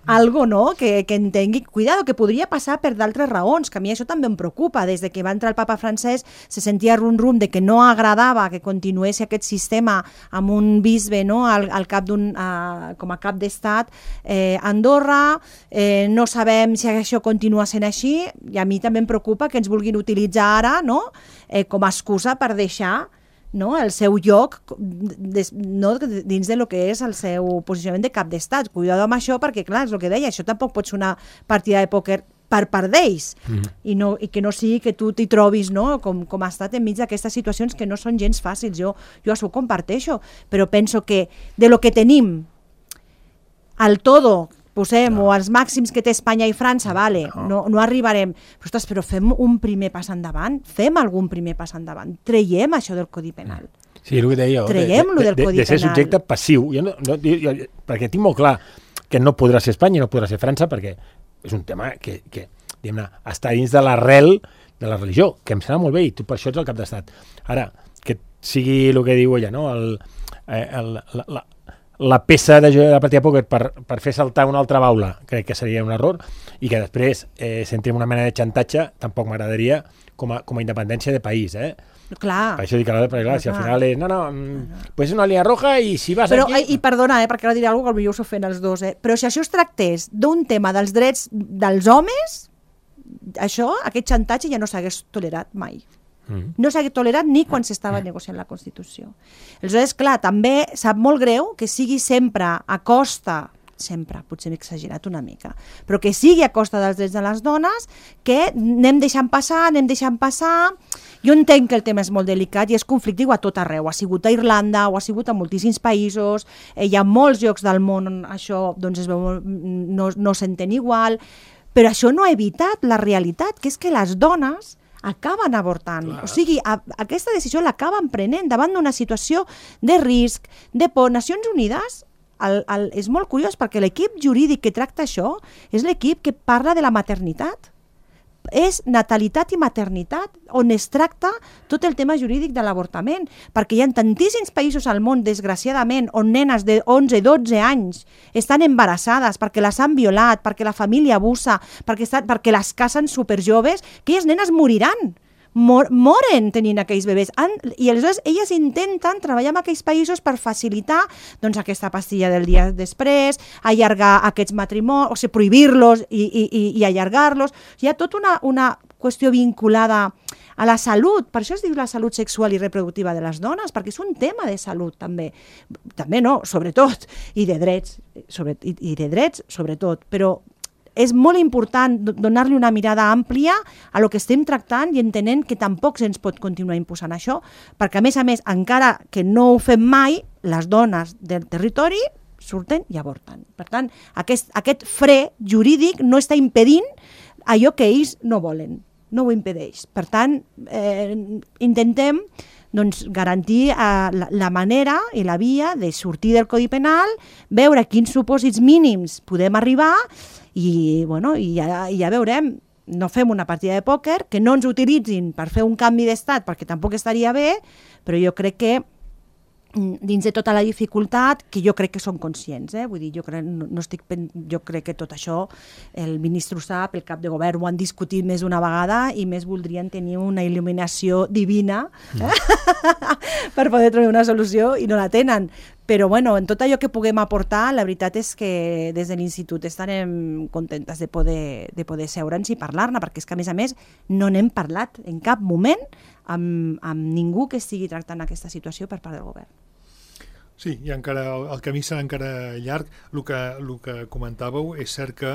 algo, no?, que entengui, cuidado, que podria passar per d'altres raons, que a mi això també em preocupa. Des de que va entrar el papa francès se sentia rum-rum de que no agradava que continués aquest sistema amb un bisbe, no?, al cap com a cap d'estat a Andorra. No sabem si això continua sent així, i a mi també em preocupa que ens vulguin utilitzar ara, no?, com a excusa per deixar, no, el seu lloc dins de lo que és el seu posicionament de cap d'estat. Cuidado amb això, perquè clar, és el que deia, això tampoc pot ser una partida de pòquer per part d'ells, i que no sigui que tu t'hi trobis, no, com ha estat enmig d'aquestes situacions que no són gens fàcils. Jo això ho comparteixo, però penso que de lo que tenim al todo posem, o als màxims que té Espanya i França, vale, no arribarem. Però, ostres, però fem un primer pas endavant, fem algun primer pas endavant, traiem això del Codi Penal. Sí, el que deia jo, traiem-lo del Codi Penal. De ser subjecte passiu, perquè tinc molt clar que no podrà ser Espanya i no podrà ser França, perquè és un tema que diguem-ne, està dins de l'arrel de la religió, que em sembla molt bé, i tu per això ets el cap d'estat. Ara, que sigui el que diu ella, no?, la peça de partida de pòquer per fer saltar una altra baula, crec que seria un error, i que després s'entri en una mena de xantatge, tampoc m'agradaria com a independència de país, Clar. Per això dic perquè clar, si al final és pues és una línia roja i si vas aquí... I perdona, perquè ara diré alguna cosa que potser s'ofèn els dos, però si això es tractés d'un tema dels drets dels homes, aquest xantatge ja no s'hagués tolerat mai. No s'ha tolerat ni quan s'estava negociant la Constitució. Aleshores, clar, també sap molt greu que sigui sempre a costa, potser m'he exagerat una mica, però que sigui a costa dels drets de les dones, que anem deixant passar. Jo entenc que el tema és molt delicat i és conflictiu a tot arreu. Ha sigut a Irlanda, o ha sigut a moltíssims països, hi ha molts llocs del món on això doncs, es veu, no s'entén igual, però això no ha evitat la realitat, que és que les dones acaben avortant. Clar. O sigui, aquesta decisió l'acaben prenent davant d'una situació de risc, de por. Nacions Unides és molt curiós perquè l'equip jurídic que tracta això és l'equip que parla de la maternitat. és natalitat i maternitat, on es tracta tot el tema jurídic de l'avortament, perquè hi ha tantíssims països al món, desgraciadament, on nenes de 11-12 anys estan embarassades perquè les han violat, perquè la família abusa, perquè les casen superjoves, que aquelles nenes moriran. Moren tenint aquells bebès. I aleshores elles intenten treballar en aquells països per facilitar doncs, aquesta pastilla del dia després, allargar aquests matrimonis, o sigui, prohibir-los i allargar-los. Hi ha tota una qüestió vinculada a la salut, per això es diu la salut sexual i reproductiva de les dones, perquè és un tema de salut també. També no, sobretot, i de drets, sobretot, però és molt important donar-li una mirada àmplia a lo que estem tractant i entenent que tampoc se'ns pot continuar imposant això, perquè a més, encara que no ho fem mai, les dones del territori surten i avorten. Per tant, aquest fre jurídic no està impedint allò que ells no volen, no ho impedeix. Per tant, intentem garantir la manera i la via de sortir del Codi Penal, veure quins supòsits mínims podem arribar i ja veurem, no fem una partida de pòquer, que no ens utilitzin per fer un canvi d'estat, perquè tampoc estaria bé, però jo crec que dins de tota la dificultat, que jo crec que són conscients, vull dir, jo crec que tot això el ministre ho sap, el cap de govern ho han discutit més d'una vegada i més voldrien tenir una il·luminació divina per poder trobar una solució i no la tenen. Però bueno, en tot allò que puguem aportar, la veritat és que des de l'Institut estarem contentes de poder seure'ns i parlar-ne, perquè és que a més no n'hem parlat en cap moment amb ningú que estigui tractant aquesta situació per part del govern. Sí, i encara el camí serà encara llarg. El que comentàveu és cert que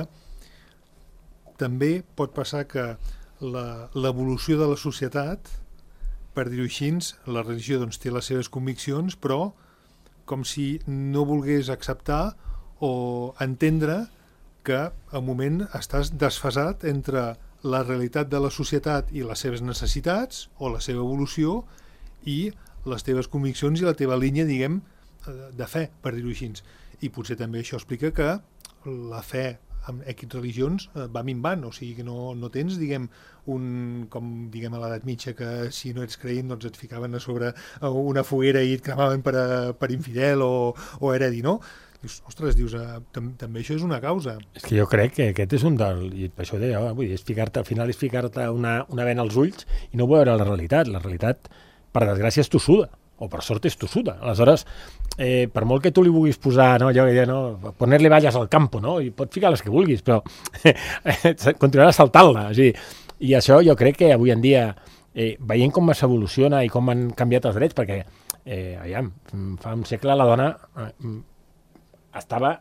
també pot passar que l'evolució de la societat, per dir-ho així, la religió doncs, té les seves conviccions, però com si no volgués acceptar o entendre que al moment estàs desfasat entre la realitat de la societat i les seves necessitats o la seva evolució i les teves conviccions i la teva línia, diguem, de fe, per dir-ho així. I potser també això explica que la fe en X religions va minvant, o sigui que no tens, diguem, com diguem a l'edat mitja, que si no ets creient doncs et ficaven a sobre una foguera i et cremaven per infidel o heredi, no? Dius, ostres, també això és una causa. És que jo crec que aquest és un i per això deia, vull dir, al final és ficar-te una vena als ulls i no veure la realitat. La realitat, per desgràcia, és tossuda, o per sort és tossuda. Aleshores, per molt que tu li vulguis posar, no, allò que deia, no, poner-li valles al campo, no, i pots ficar les que vulguis, però continuarà saltant-la. O sigui, i això jo crec que avui en dia, veient com s'evoluciona i com han canviat els drets, perquè, fa un segle la dona estava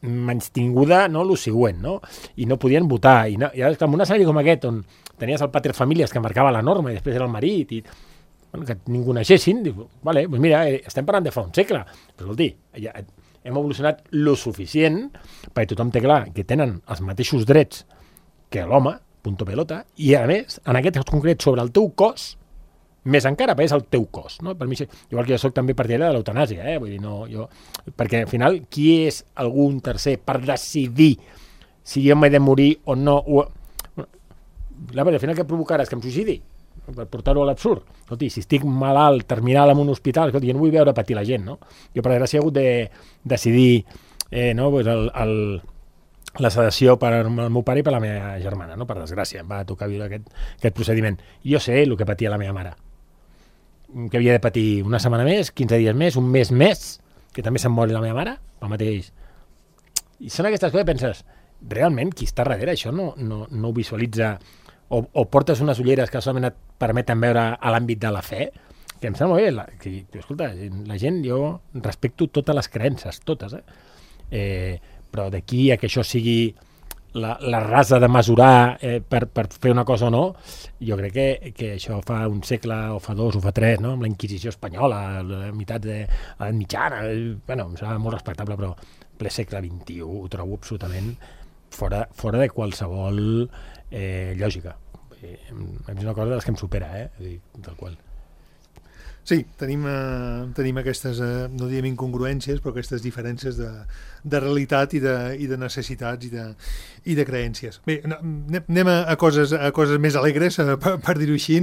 menystinguda, no, lo següent, no? I no podien votar. I en un escenari com aquest, on tenies el pater famílies que marcava la norma i després era el marit, i que ningú naixessin, diu, vale, doncs mira, estem parlant de fa un segle, però escolti, ja hem evolucionat lo suficient perquè tothom té clar que tenen els mateixos drets que l'home, punto pelota, i a més, en aquest concret, sobre el teu cos, més encara, perquè és el teu cos, no? Per mi, igual que jo soc també partidari de l'eutanàsia, vull dir, no, perquè al final, qui és algun tercer per decidir si jo m'he de morir o no? Al final, què provocarà? És que em suïcidi? Per portar-ho a l'absurd. Escolti, si estic malalt, terminal en un hospital, escolti, jo no vull veure patir la gent, no? Jo, per desgràcia, he hagut de decidir la sedació per al meu pare i per la meva germana, no? Per desgràcia, em va tocar viure aquest procediment. I jo sé el que patia la meva mare, que havia de patir una setmana més, 15 dies més, un mes més, que també se'n mori la meva mare, el mateix. I són aquestes coses que penses, realment, qui està darrere això no ho visualitza, o portes unes ulleres que solament et permeten veure a l'àmbit de la fe, que em sembla bé, escolta, la gent, jo respecto totes les creences, totes, però d'aquí a que això sigui la rasa de mesurar per fer una cosa o no, jo crec que això fa un segle o fa dos o fa tres, no? Amb la Inquisició espanyola, la meitat de l'edat mitjana, bueno, em sembla molt respectable, però ple segle XXI ho trobo absolutament fora de qualsevol lògica. És una cosa de les que em supera, tal qual. Sí, tenim aquestes, no diem incongruències, però aquestes diferències de realitat i de necessitats i de creències. Bé, anem a coses més alegres, per dir-ho així.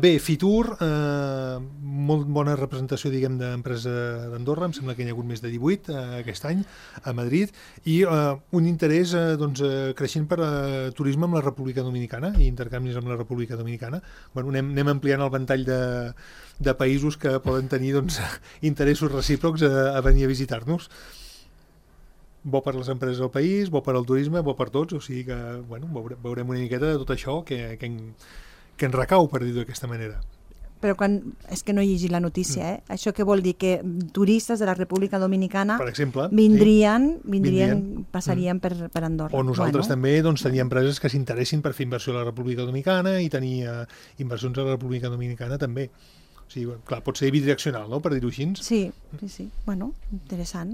Bé, Fitur, molt bona representació, diguem, d'empresa d'Andorra, em sembla que n'hi ha hagut més de 18 aquest any a Madrid, i un interès creixent per turisme amb la República Dominicana i intercanvis amb la República Dominicana. Bueno, anem ampliant el ventall de països que poden tenir interessos recíprocs a venir a visitar-nos. Bo per les empreses del país, bo per al turisme, bo per tots, o sigui que veurem una miqueta de tot això que ens recau, per dir-ho d'aquesta manera. Però és que no he llegit la notícia, Això què vol dir? Que turistes de la República Dominicana, per exemple, passarien per Andorra. O nosaltres també teníem empreses que s'interessin per fer inversió a la República Dominicana i tenir inversions a la República Dominicana també. O sigui, clar, pot ser bidireccional, no?, per dir-ho així. Sí. Bueno, interessant.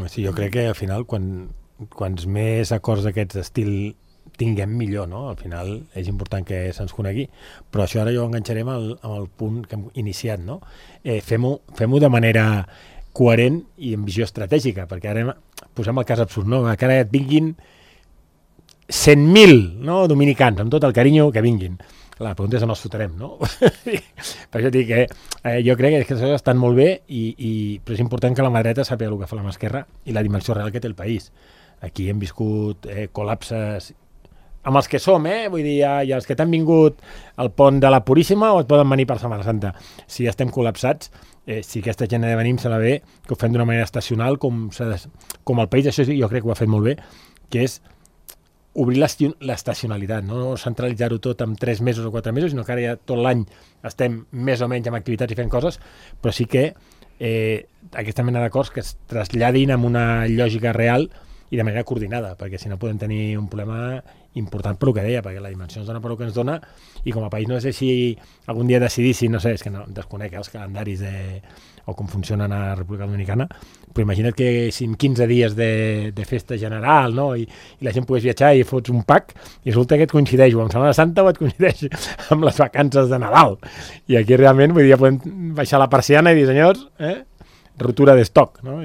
Sí, jo crec que al final, quants més acords d'aquest estil tinguem, millor, no? Al final és important que se'ns conegui, però això ara jo enganxarem amb el punt que hem iniciat, no? Fem-ho de manera coherent i amb visió estratègica, perquè ara posem el cas absurd, no? Que ara et vinguin 100.000, no?, dominicans, amb tot el carinyo que vinguin. La pregunta és on els fotrem, no? Per això dic que jo crec que les coses estan molt bé, però és important que la mà dreta sàpiga el que fa la mà esquerra i la dimensió real que té el país. Aquí hem viscut col·lapses amb els que som, vull dir, i els que t'han vingut al pont de la Puríssima o et poden venir per Setmana Santa. Si estem col·lapsats, si aquesta gent de venim se la ve, que ho fem d'una manera estacional, com el país, això jo crec que ho ha fet molt bé, que és obrir l'estacionalitat, no centralitzar-ho tot en 3 mesos o 4 mesos, sinó que ara ja tot l'any estem més o menys amb activitats i fent coses, però sí que aquesta mena d'acords que es traslladin amb una lògica real i de manera coordinada, perquè si no podem tenir un problema important per el que deia, perquè la dimensió ens dona per el que ens dona, i com a país no sé si algun dia decidissin, no sé, és que no desconec els calendaris o com funcionen a la República Dominicana, però imagina't que si en 15 dies de festa general, no?, i la gent pogués viatjar i fots un pack, i resulta que et coincideix o amb Setmana Santa o et coincideix amb les vacances de Nadal. I aquí realment, vull dir, ja podem baixar la persiana i dir, senyors, ruptura d'estoc, no?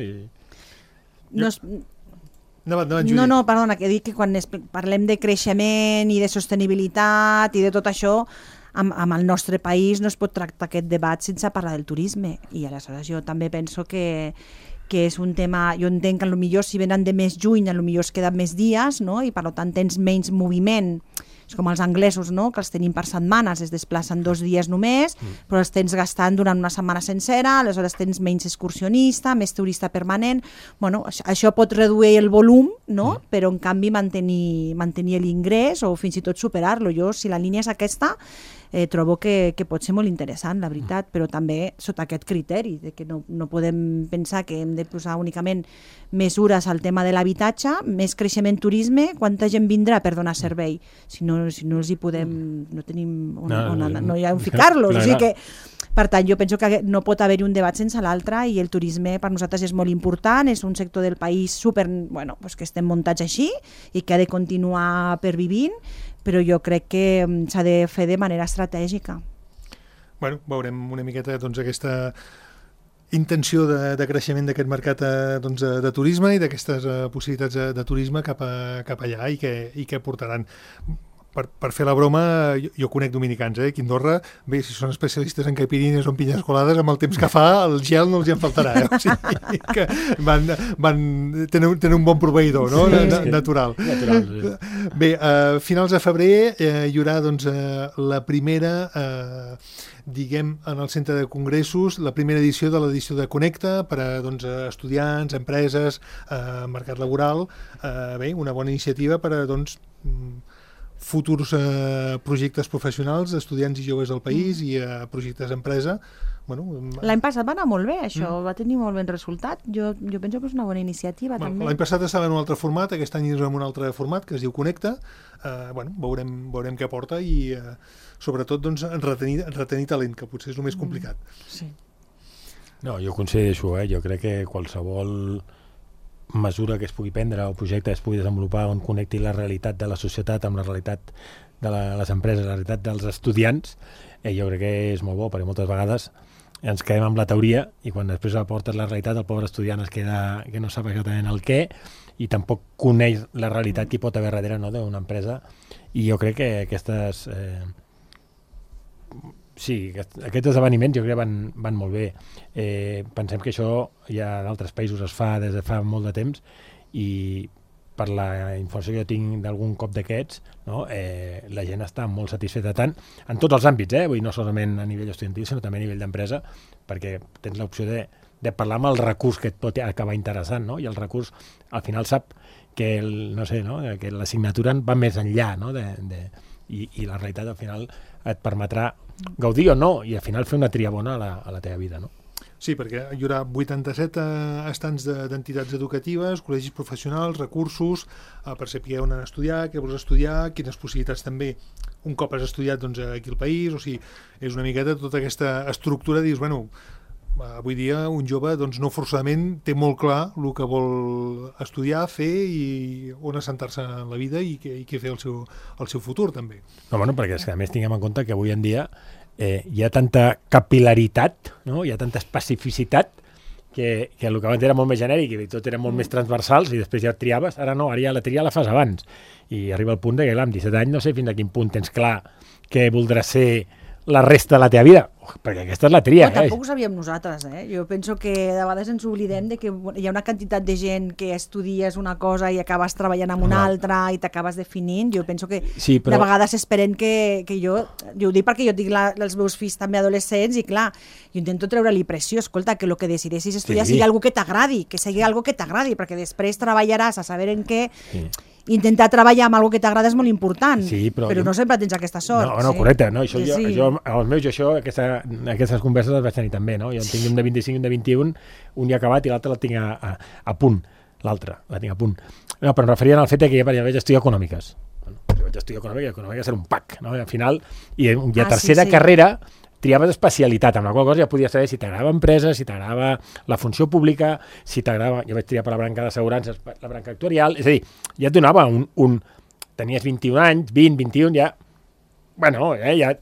No, perdona, que dic que quan parlem de creixement i de sostenibilitat i de tot això, amb el nostre país no es pot tractar aquest debat sense parlar del turisme, i aleshores jo també penso que és un tema, jo entenc que potser si venen de més juny potser es queden més dies, no?, i per tant tens menys moviment. És com els anglesos, no?, que els tenim per setmanes, es desplacen 2 dies només, però els tens gastant durant una setmana sencera, aleshores tens menys excursionista, més turista permanent. Bueno, això pot reduir el volum, no?, però en canvi mantenir l'ingrés o fins i tot superar-lo. Jo, si la línia és aquesta, trobo que pot ser molt interessant, la veritat, però també sota aquest criteri, de que no podem pensar que hem de posar únicament mesures al tema de l'habitatge, més creixement turisme, quanta gent vindrà per donar servei? Si no els hi podem, no tenim no hi ha on ficar-los, o sigui que per tant, jo penso que no pot haver-hi un debat sense l'altre, i el turisme per nosaltres és molt important, és un sector del país que estem muntats així i que ha de continuar pervivint, però jo crec que s'ha de fer de manera estratègica. Bueno, veurem una miqueta aquesta intenció de creixement d'aquest mercat de turisme i d'aquestes possibilitats de turisme cap allà i què portaran. Per fer la broma, jo conec dominicans, aquí a Andorra, bé, si són especialistes en caipirinhas o en pinyes colades, amb el temps que fa, el gel no els hi en faltarà, O sigui que tenen un bon proveïdor, no?, natural. Sí. Bé, a finals de febrer hi haurà la primera, diguem, en el centre de congressos, la primera edició de l'edició de Connecta per a estudiants, empreses, mercat laboral. Bé, una bona iniciativa per a futurs projectes professionals d'estudiants i joves del país i projectes d'empresa. L'any passat va anar molt bé, això, va tenir molt ben resultat. Jo penso que és una bona iniciativa, també. L'any passat estava en un altre format, aquest any és en un altre format que es diu Connecta. Veurem què porta i sobretot retenir talent, que potser és el més complicat. Sí. No, jo coincideixo, jo crec que qualsevol mesura que es pugui prendre o projecte que es pugui desenvolupar on connecti la realitat de la societat amb la realitat de les empreses, la realitat dels estudiants, jo crec que és molt bo, perquè moltes vegades ens quedem amb la teoria i quan després aportes la realitat el pobre estudiant es queda que no sap exactament el què i tampoc coneix la realitat que hi pot haver darrere, no, d'una empresa. I jo crec que aquests esdeveniments jo crec que van molt bé. Pensem que això ja en altres països es fa des de fa molt de temps i per la informació que jo tinc d'algun cop d'aquests, no, la gent està molt satisfeta tant en tots els àmbits, vull dir, no solament a nivell estudiantil, sinó també a nivell d'empresa, perquè tens l'opció de parlar amb el recurs que et pot acabar interessant, no? I el recurs al final sap que, que l'assignatura va més enllà, no? I la realitat al final et permetrà gaudir o no i al final fer una tria bona a la teva vida, no? Sí, perquè hi haurà 87 estants d'entitats educatives, col·legis professionals, recursos, per saber on estudiar, què vols estudiar, quines possibilitats també, un cop has estudiat doncs, aquí al país, o sigui, és una miqueta tota aquesta estructura, dius, bueno, avui dia un jove doncs, no forçadament té molt clar el que vol estudiar, fer i on assentar-se en la vida i què fer el seu futur, també. No, bueno, perquè és que a més tinguem en compte que avui en dia hi ha tanta capil·laritat, no? Hi ha tanta especificitat que el que abans era molt més genèric i tot era molt més transversals i després ja triaves, ara no, ara ja la tria la fas abans i arriba el punt que clar, amb 17 anys no sé fins a quin punt tens clar què voldràs ser la resta de la teva vida, perquè aquesta és la tria. Tampoc ho sabíem nosaltres, Jo penso que de vegades ens oblidem de que hi ha una quantitat de gent que estudies una cosa i acabes treballant amb una altra i t'acabes definint. Jo penso que sí, però de vegades esperen que jo ho dic perquè jo tinc els meus fills també adolescents i clar, jo intento treure-li pressió, escolta, que el que decideixis estudiar sigui algo que t'agradi, que sigui algo que t'agradi, perquè després treballaràs a saber en què. Intentar treballar amb alguna que t'agrada és molt important, però no sempre tens aquesta sort. No, correcte. No? Això, jo, els meus, aquestes converses les vaig tenir també. No? Jo en tinc un de 25 i un de 21, un ja acabat i l'altre la tinc a punt. L'altre la tinc a punt. No, però em referien al fet que ja vaig estudiar econòmiques. Jo vaig estudiar econòmiques era un pack. No? Al final, i a tercera carrera triaves especialitat, amb la qual cosa ja podies saber si t'agradava empresa, si t'agradava la funció pública, si t'agradava... Jo vaig triar per la branca d'assegurances, la branca actuarial, és a dir, ja et donava tenies 21 anys, 20, 21, ja... Bueno, ja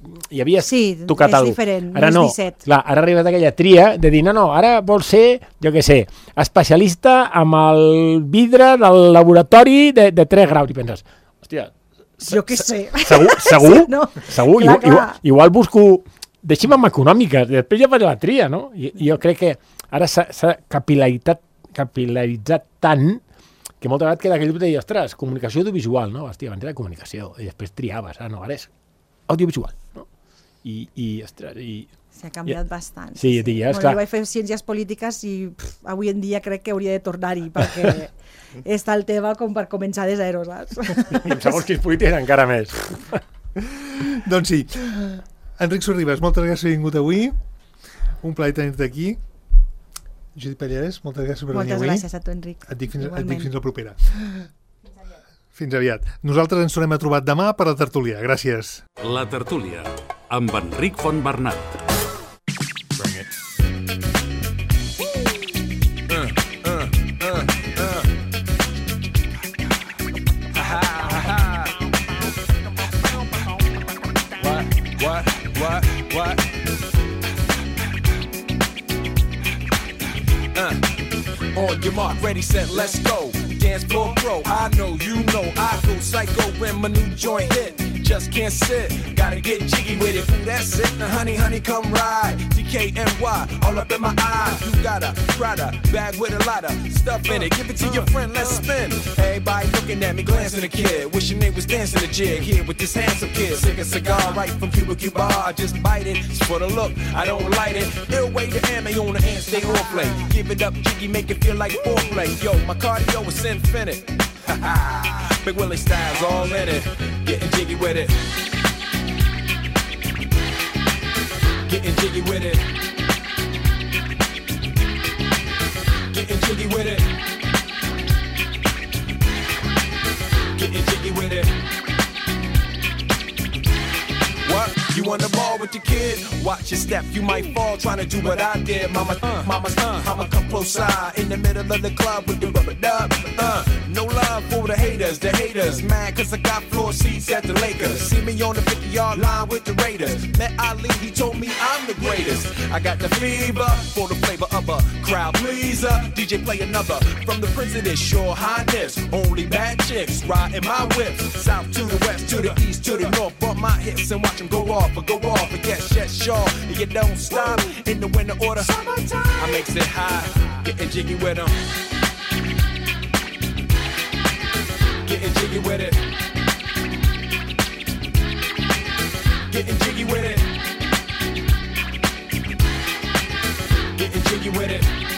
havies tocat alguna cosa. Sí, és diferent, ara no és 17. Clar, ara arribes d'aquella tria de dir, no, ara vols ser, jo què sé, especialista amb el vidre del laboratori de 3 graus. I penses, hòstia... Jo què sé. Segur? Sí, no? Segur? Igual busco... Deixi'm amb econòmiques, després ja faré la tria, no? I jo crec que ara s'ha capil·laritzat tant que molta vegada queda aquell dubte de dir, ostres, comunicació audiovisual, no? Hòstia, abans era comunicació, i després triaves, ara és audiovisual, no? Ostres, s'ha canviat bastant. Sí, ja, jo vaig fer ciències polítiques i avui en dia crec que hauria de tornar-hi, perquè està el tema com per començar de zero, saps? I amb segons quins polítics encara més. Doncs sí. Enric Sorribas, moltes gràcies per haver vingut avui. Un plaer tenir-te aquí. Judit Pallares, moltes gràcies per venir avui. Moltes gràcies a tu, Enric. Et dic fins la propera. Fins aviat. Nosaltres ens tornem a trobar demà per la tertúlia. Gràcies. La tertúlia, amb Enric Fontbernat. On your mark, ready, set, let's go. Dance floor pro, I know, you know, I go psycho when my new joint hit. Just can't sit, gotta get jiggy with it. Ooh, that's it, now honey, come ride. DKNY, all up in my eyes. You got a Prada bag with a lot of stuff in it. Give it to your friend, let's spin. Everybody looking at me, glancing a kid. Wishing they was dancing a jig here with this handsome kid. Sick a cigar right from Cuba Cuba. I just bite it, it's for the look, I don't light it. Ill way to ammo on the hand, stay on play. Give it up, jiggy, make it feel like foreplay. Yo, my cardio is infinite. Big Willie style's all in it. Getting jiggy with it. Getting jiggy with it. Getting jiggy with it. Getting jiggy with it. What? You on the ball with your kid? Watch your step, you might fall trying to do what I did. Mama, come close side in the middle of the club with the rubber dub. No love. love for the haters mad cause I got floor seats at the Lakers. See me on the 50-yard line with the Raiders. Met Ali, he told me I'm the greatest. I got the fever for the flavor of a crowd pleaser. DJ play another from the Prince of this Your Highness. Only bad chicks riding my whips. South to the west, to the east, to the north. Bump my hips and watch them go off. And yes, sure, you don't stop in the winter order. I makes it high, getting jiggy with them. Getting jiggy with it. Getting jiggy with it. Getting jiggy with it.